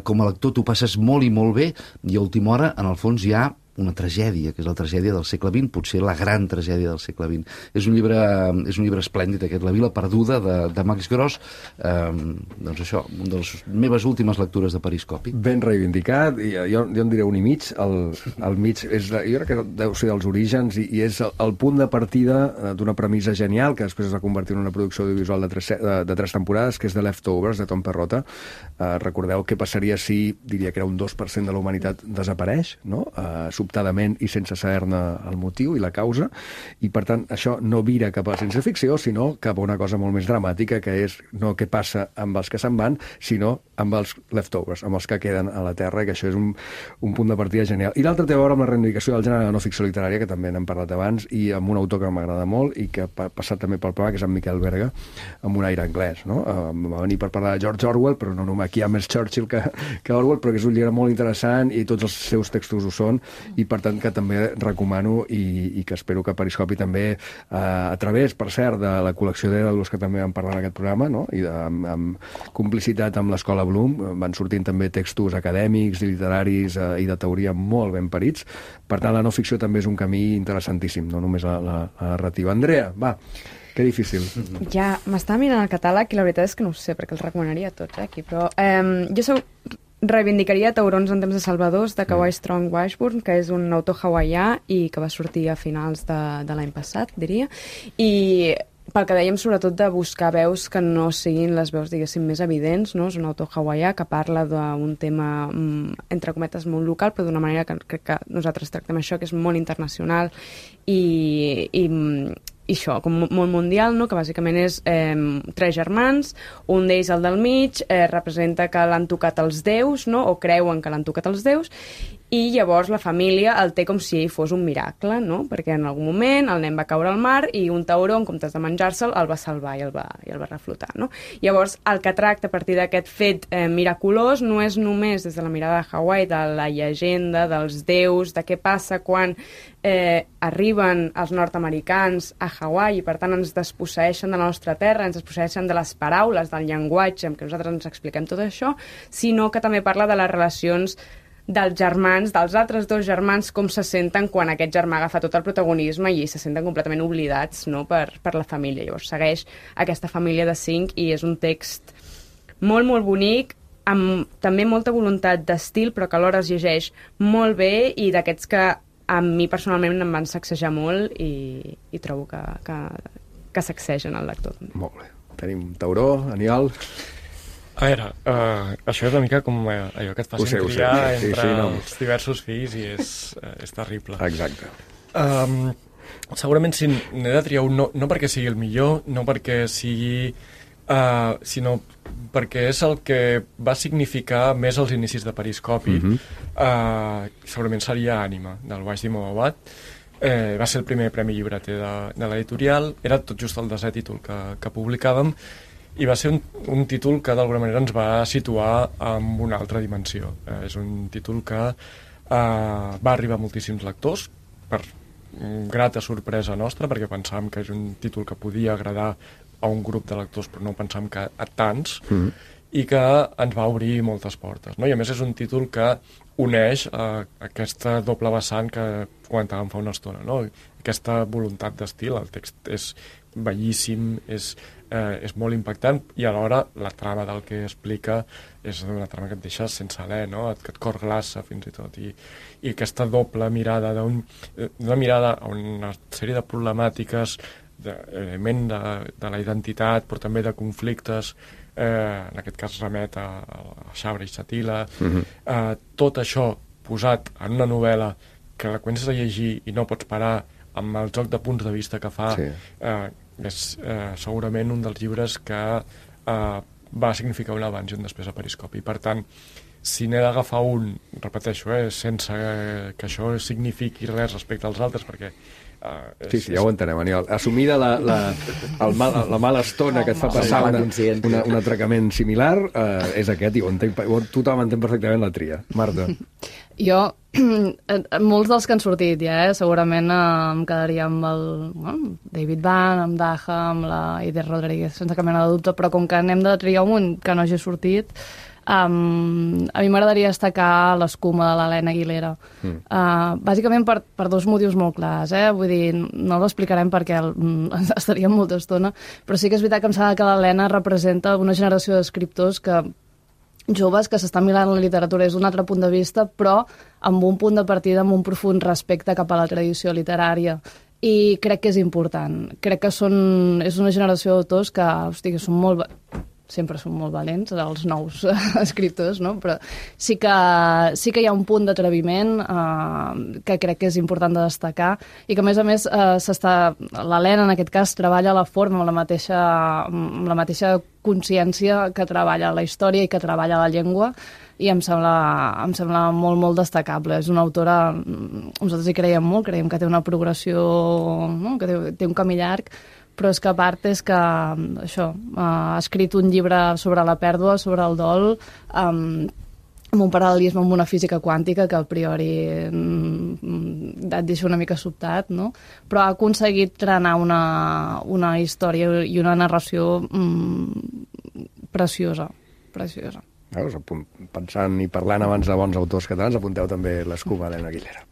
Speaker 7: com a lector t'ho passes molt i molt bé, i a última hora, en el fons, hi ha una tragèdia, que és la tragèdia del segle XX, potser la gran tragèdia del segle XX. És un llibre esplèndid, aquest, La vila perduda, de Max Gross. Doncs això, una de les meves últimes lectures de Periscopi.
Speaker 1: Ben reivindicat, i jo en diré un i mig. El mig, jo crec que deu ser dels orígens, i és el punt de partida d'una premissa genial, que després es va convertir en una producció audiovisual de 3 temporades, que és The Leftovers, de Tom Perrotta. Recordeu què passaria si, diria que era un 2% de la humanitat desapareix, no? Sobtadament i sense saber-ne el motiu i la causa, i per tant això no vira cap a la ciència-ficció, sinó cap a una cosa molt més dramàtica, que és no què passa amb els que se'n van, sinó amb els leftovers, amb els que queden a la Terra, i que això és un punt de partida genial. I l'altre té a veure amb la reivindicació del gènere de no ficció literària, que també n'hem parlat abans, i amb un autor que m'agrada molt i que ha passat també pel programa, que és en Miquel Berga, amb un aire anglès, no? Va venir per parlar de George Orwell, però no només aquí hi ha més Churchill que Orwell, però que és un llibre molt interessant i tots els seus textos ho són, i per tant que també recomano, i que espero que Periscopi també, a través, per cert, de la col·lecció d'Èdalos, que també vam parlar en aquest programa, no? I amb complicitat amb l'Escola Bloom, van sortint també textos acadèmics i literaris i de teoria molt ben parits. Per tant, la no ficció també és un camí interessantíssim, no només la narrativa. Andrea, va, que difícil.
Speaker 6: Ja, m'estava mirant el catàleg i la veritat és que no ho sé, perquè els recomanaria tots, aquí, però jo reivindicaria Taurons en temps de Salvadors, de Kawhi Strong Washburn, que és un autor hawaià i que va sortir a finals de l'any passat, diria, i pel que dèiem, sobretot, de buscar veus que no siguin les veus, diguéssim, més evidents, no? És un autor hawaià que parla d'un tema, entre cometes, molt local, però d'una manera que crec que nosaltres tractem això, que és molt internacional i això, com molt mundial, no? Que bàsicament és 3 germans, un d'ells, el del mig, representa que l'han tocat els déus, no? O creuen que l'han tocat els déus, i llavors la família el té com si ell fos un miracle, no? Perquè en algun moment el nen va caure al mar i un tauró, en comptes de menjar-se'l, el va salvar i el va reflotar, no? Llavors, el que tracta a partir d'aquest fet miraculós no és només des de la mirada de Hawaii, de la llegenda, dels déus, de què passa quan arriben els nord-americans a Hawaii i per tant ens desposseeixen de la nostra terra, ens desposseeixen de les paraules, del llenguatge amb què nosaltres ens expliquem tot això, sinó que també parla de les relacions dels germans, dels altres 2 germans, com se senten quan aquest germà agafa tot el protagonisme i se senten completament oblidats, no? per la família. Llavors segueix aquesta família de 5 i és un text molt, molt bonic, amb també molta voluntat d'estil, però que alhora es llegeix molt bé i d'aquests que a mi personalment em van sacsejar molt i trobo que sacsegen el lector.
Speaker 1: Molt bé. Tenim tauró, Aniol.
Speaker 5: A veure, això és una mica com allò que et facin triar entre els diversos fills i és terrible.
Speaker 1: Exacte.
Speaker 5: Segurament si n'he de triar un, no perquè sigui el millor, no perquè sigui... sinó perquè és el que va significar més els inicis de Periscopi. Segurament seria Ànima, del Wajdi Mobawat. Va ser el primer premi llibreter de l'editorial, era tot just el 10è títol que publicàvem, i va ser un títol que d'alguna manera ens va situar en una altra dimensió. És un títol que va arribar a moltíssims lectors, per grata sorpresa nostra, perquè pensàvem que és un títol que podia agradar a un grup de lectors, però no pensàvem que a tants, i que ens va obrir moltes portes, no? I a més és un títol que uneix aquesta doble vessant que comentàvem fa una estona, no? Aquesta voluntat d'estil, el text és bellíssim, és molt impactant, i alhora la trama del que explica és una trama que et deixa sense alè, no? Que et cor glaça fins i tot, i aquesta doble mirada d'una mirada a una sèrie de problemàtiques d'element de la identitat, però també de conflictes, en aquest cas remet a Sabra i Shatila. Tot això posat en una novel·la que la comences a llegir i no pots parar, amb el joc de punts de vista que fa, és segurament un dels llibres que va significar un abans i un després a Periscopi. Per tant, si n'he d'agafar un, repeteixo, sense que això signifiqui res respecte als altres, perquè
Speaker 1: sí, ja ho entenem, Aniol. Assumida la mala estona que et fa passar un atracament similar, és aquest, i tothom entén perfectament la tria. Marta.
Speaker 4: Jo, molts dels que han sortit ja, segurament em quedaria amb el David Van, amb Daha, amb la Eider Rodríguez, sense cap mena de dubte, però com que n'hem de triar un que no hagi sortit, a mi m'agradaria destacar l'Escuma de l'Helena Aguilera. Bàsicament per dos motius molt clars, vull dir, no l'explicarem perquè estaríem molta estona, però sí que és veritat que em sembla que l'Helena representa una generació d'escriptors joves que s'estan mirant la literatura des d'un altre punt de vista, però amb un punt de partida, amb un profund respecte cap a la tradició literària. I crec que és important. Crec que és una generació d'autors que, que són sempre són molt valents, els nous escriptors, no? Però sí que hi ha un punt d'atreviment que crec que és important de destacar i que, a més, l'Helena, en aquest cas, treballa la forma amb la mateixa consciència que treballa la història i que treballa la llengua, i em sembla molt, molt destacable. És una autora, nosaltres hi creiem molt, creiem que té una progressió, no? Que té un camí llarg, però és que a part és que ha escrit un llibre sobre la pèrdua, sobre el dol, amb un paral·lelisme amb una física quàntica que a priori et deixa una mica sobtat, no? Però ha aconseguit trenar una història i una narració preciosa.
Speaker 1: Veus, pensant i parlant abans de bons autors catalans, apunteu també l'Escuma d'Helena Aguilera.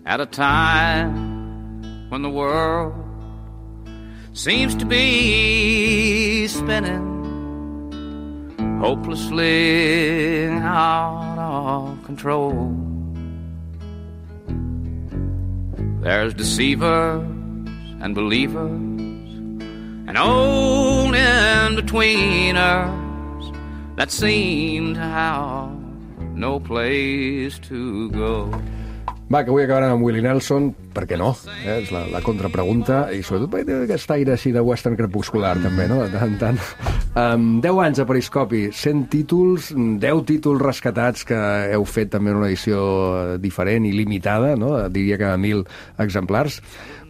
Speaker 11: At a time when the world seems to be spinning hopelessly out of control, there's deceivers and believers and old in-betweeners that seem to have no place to go.
Speaker 1: Va, que avui acabarem amb Willie Nelson, per què no? És la contrapregunta, i sobretot perquè té aquest aire així de western crepuscular, també, no? De tant en tant. 10 anys a Periscopi, 100 títols, 10 títols rescatats que heu fet també en una edició diferent i limitada, no? Diria que 1.000 exemplars,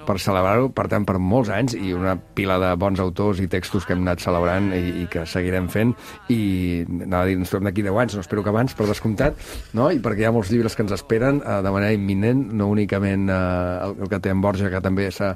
Speaker 1: per celebrar-ho, per tant, per molts anys, i una pila de bons autors i textos que hem anat celebrant i que seguirem fent, i anava a dir, ens trobem d'aquí 10 anys, no espero que abans, per descomptat, no? I perquè hi ha molts llibres que ens esperen de manera imminent, no únicament el que té en Borja, que també s'ha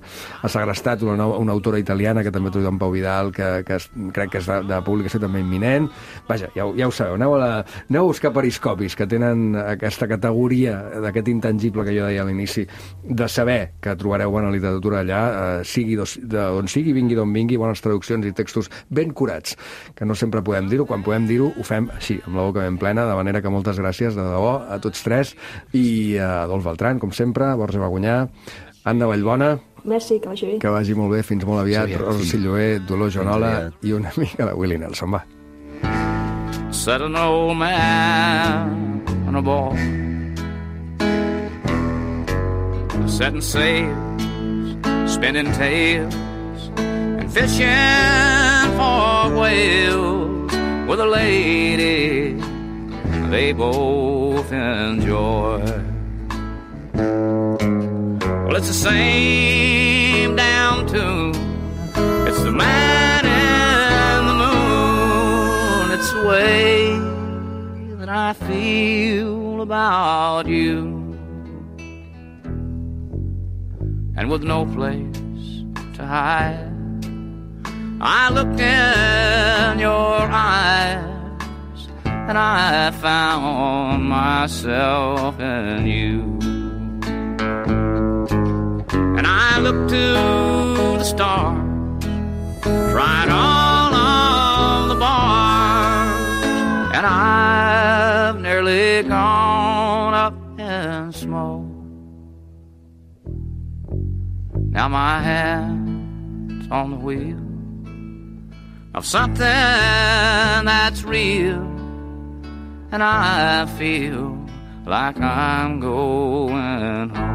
Speaker 1: segrestat, una autora italiana, que també té en Pau Vidal, que crec que és de publicació també imminent. Vaja, ja ho sabeu, aneu a buscar periscopis, que tenen aquesta categoria d'aquest intangible que jo deia a l'inici, de saber que trobareu bona literatura allà, sigui d'on sigui, vingui d'on vingui, bones traduccions i textos ben curats, que no sempre podem dir-ho, quan podem dir-ho ho fem així, amb la boca ben plena, de manera que moltes gràcies de debò a tots tres, i a Adolf Beltran, com sempre, Borja Bagunyà, Anna Vallbona.
Speaker 9: Merci, que vagi bé.
Speaker 1: Que vagi molt bé, fins molt aviat. Rosa Silloé, Dolor Joanola i una mica de Willie Nelson, va.
Speaker 11: Said an old man on a ball, setting sails, spinning tales, and fishing for whales with a lady they both enjoy. Well, it's the same damn tune. It's the man and the moon. It's the way that I feel about you. And with no place to hide, I looked in your eyes, and I found myself in you. And I looked to the stars, tried all of the bars, and I've nearly gone up in smoke. Now my hand's on the wheel of something that's real, and I feel like I'm going home.